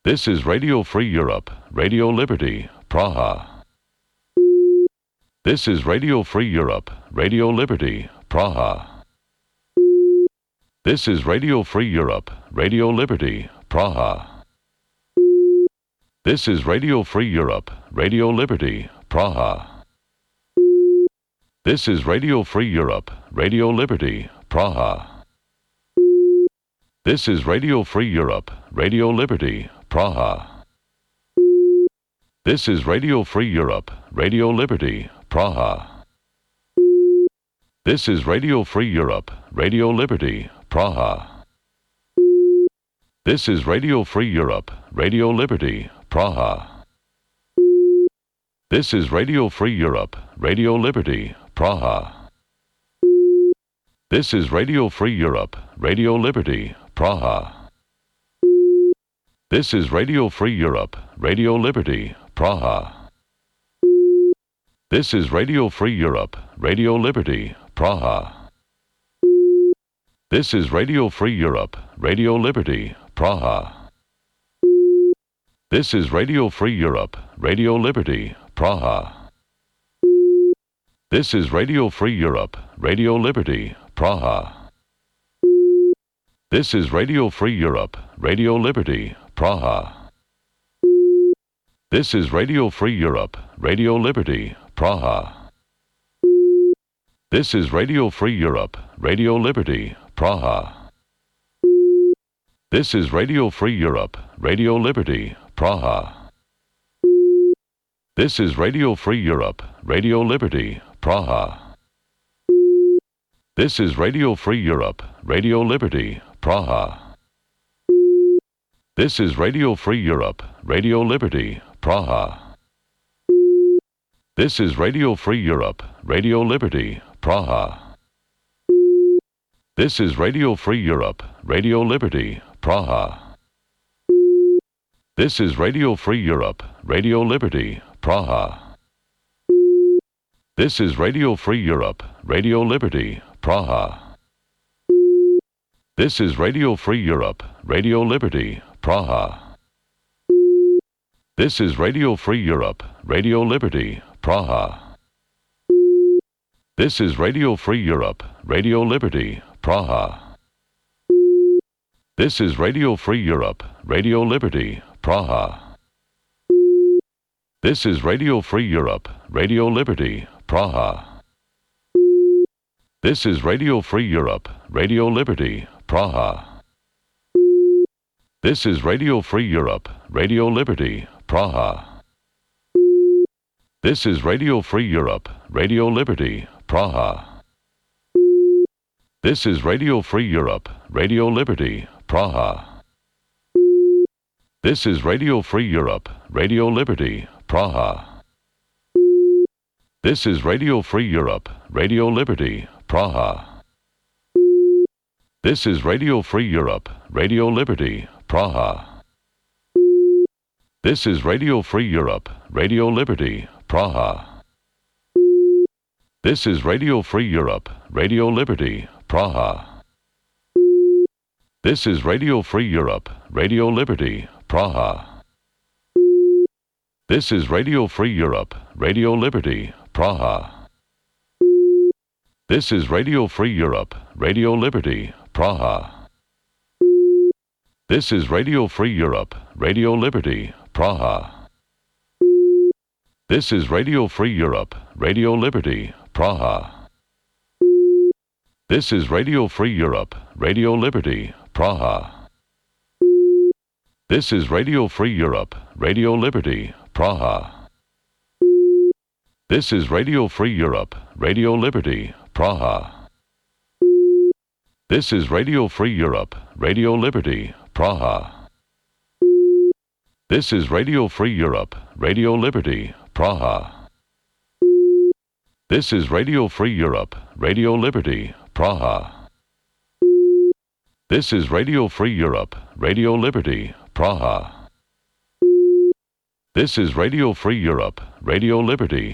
This is Radio Free Europe, Radio Liberty, Praha. This is Radio Free Europe, Radio Liberty, Praha. This is Radio Free Europe, Radio Liberty, Praha. This is Radio Free Europe, Radio Liberty, Praha. This is Radio Free Europe, Radio Liberty, Praha. This is Radio Free Europe, Radio Liberty, Praha. This is Radio Free Europe, Radio Liberty, Praha. This is Radio Free Europe, Radio Liberty, Praha. This is Radio Free Europe, Radio Liberty, Praha. This is Radio Free Europe, Radio Liberty, Praha. This is Radio Free Europe, Radio Liberty, Praha. This is Radio Free Europe, Radio Liberty, Praha. This is Radio Free Europe, Radio Liberty, Praha. This is Radio Free Europe, Radio Liberty, Praha. This is Radio Free Europe, Radio Liberty, Praha. This is Radio Free Europe, Radio Liberty, Praha. This is Radio Free Europe, Radio Liberty, Praha. This is Radio Free Europe, Radio Liberty, Praha. This is Radio Free Europe, Radio Liberty, Praha. This is Radio Free Europe, Radio Liberty, Praha. This is Radio Free Europe, Radio Liberty, Praha. This is Radio Free Europe, Radio Liberty, Praha. This is Radio Free Europe, Radio Liberty, Praha. This is Radio Free Europe, Radio Liberty, Praha. This is Radio Free Europe, Radio Liberty, Praha. This is Radio Free Europe, Radio Liberty, Praha. This is Radio Free Europe, Radio Liberty, Praha. This is Radio Free Europe, Radio Liberty, Praha. This is Radio Free Europe, Radio Liberty, Praha. This is Radio Free Europe, Radio Liberty, Praha. This is Radio Free Europe, Radio Liberty, Praha. This is Radio Free Europe, Radio Liberty, Praha. This is Radio Free Europe, Radio Liberty, Praha. This is Radio Free Europe, Radio Liberty, Praha. This is Radio Free Europe, Radio Liberty, Praha. This is Radio Free Europe, Radio Liberty, Praha. This is Radio Free Europe, Radio Liberty, Praha. This is Radio Free Europe, Radio Liberty, Praha. This is Radio Free Europe, Radio Liberty, Praha. This is Radio Free Europe, Radio Liberty, Praha. This is Radio Free Europe, Radio Liberty, Praha. This is Radio Free Europe, Radio Liberty, Praha. This is Radio Free Europe, Radio Liberty, Praha. This is Radio Free Europe, Radio Liberty, Praha. This is Radio Free Europe, Radio Liberty, Praha. This is Radio Free Europe, Radio Liberty, Praha. This is Radio Free Europe, Radio Liberty, Praha. This is Radio Free Europe, Radio Liberty, Praha. This is Radio Free Europe, Radio Liberty, Praha. This is Radio Free Europe, Radio Liberty, Praha. This is Radio Free Europe, Radio Liberty, Praha. This is Radio Free Europe, Radio Liberty, Praha. This is Radio Free Europe, Radio Liberty, Praha. This is Radio Free Europe, Radio Liberty,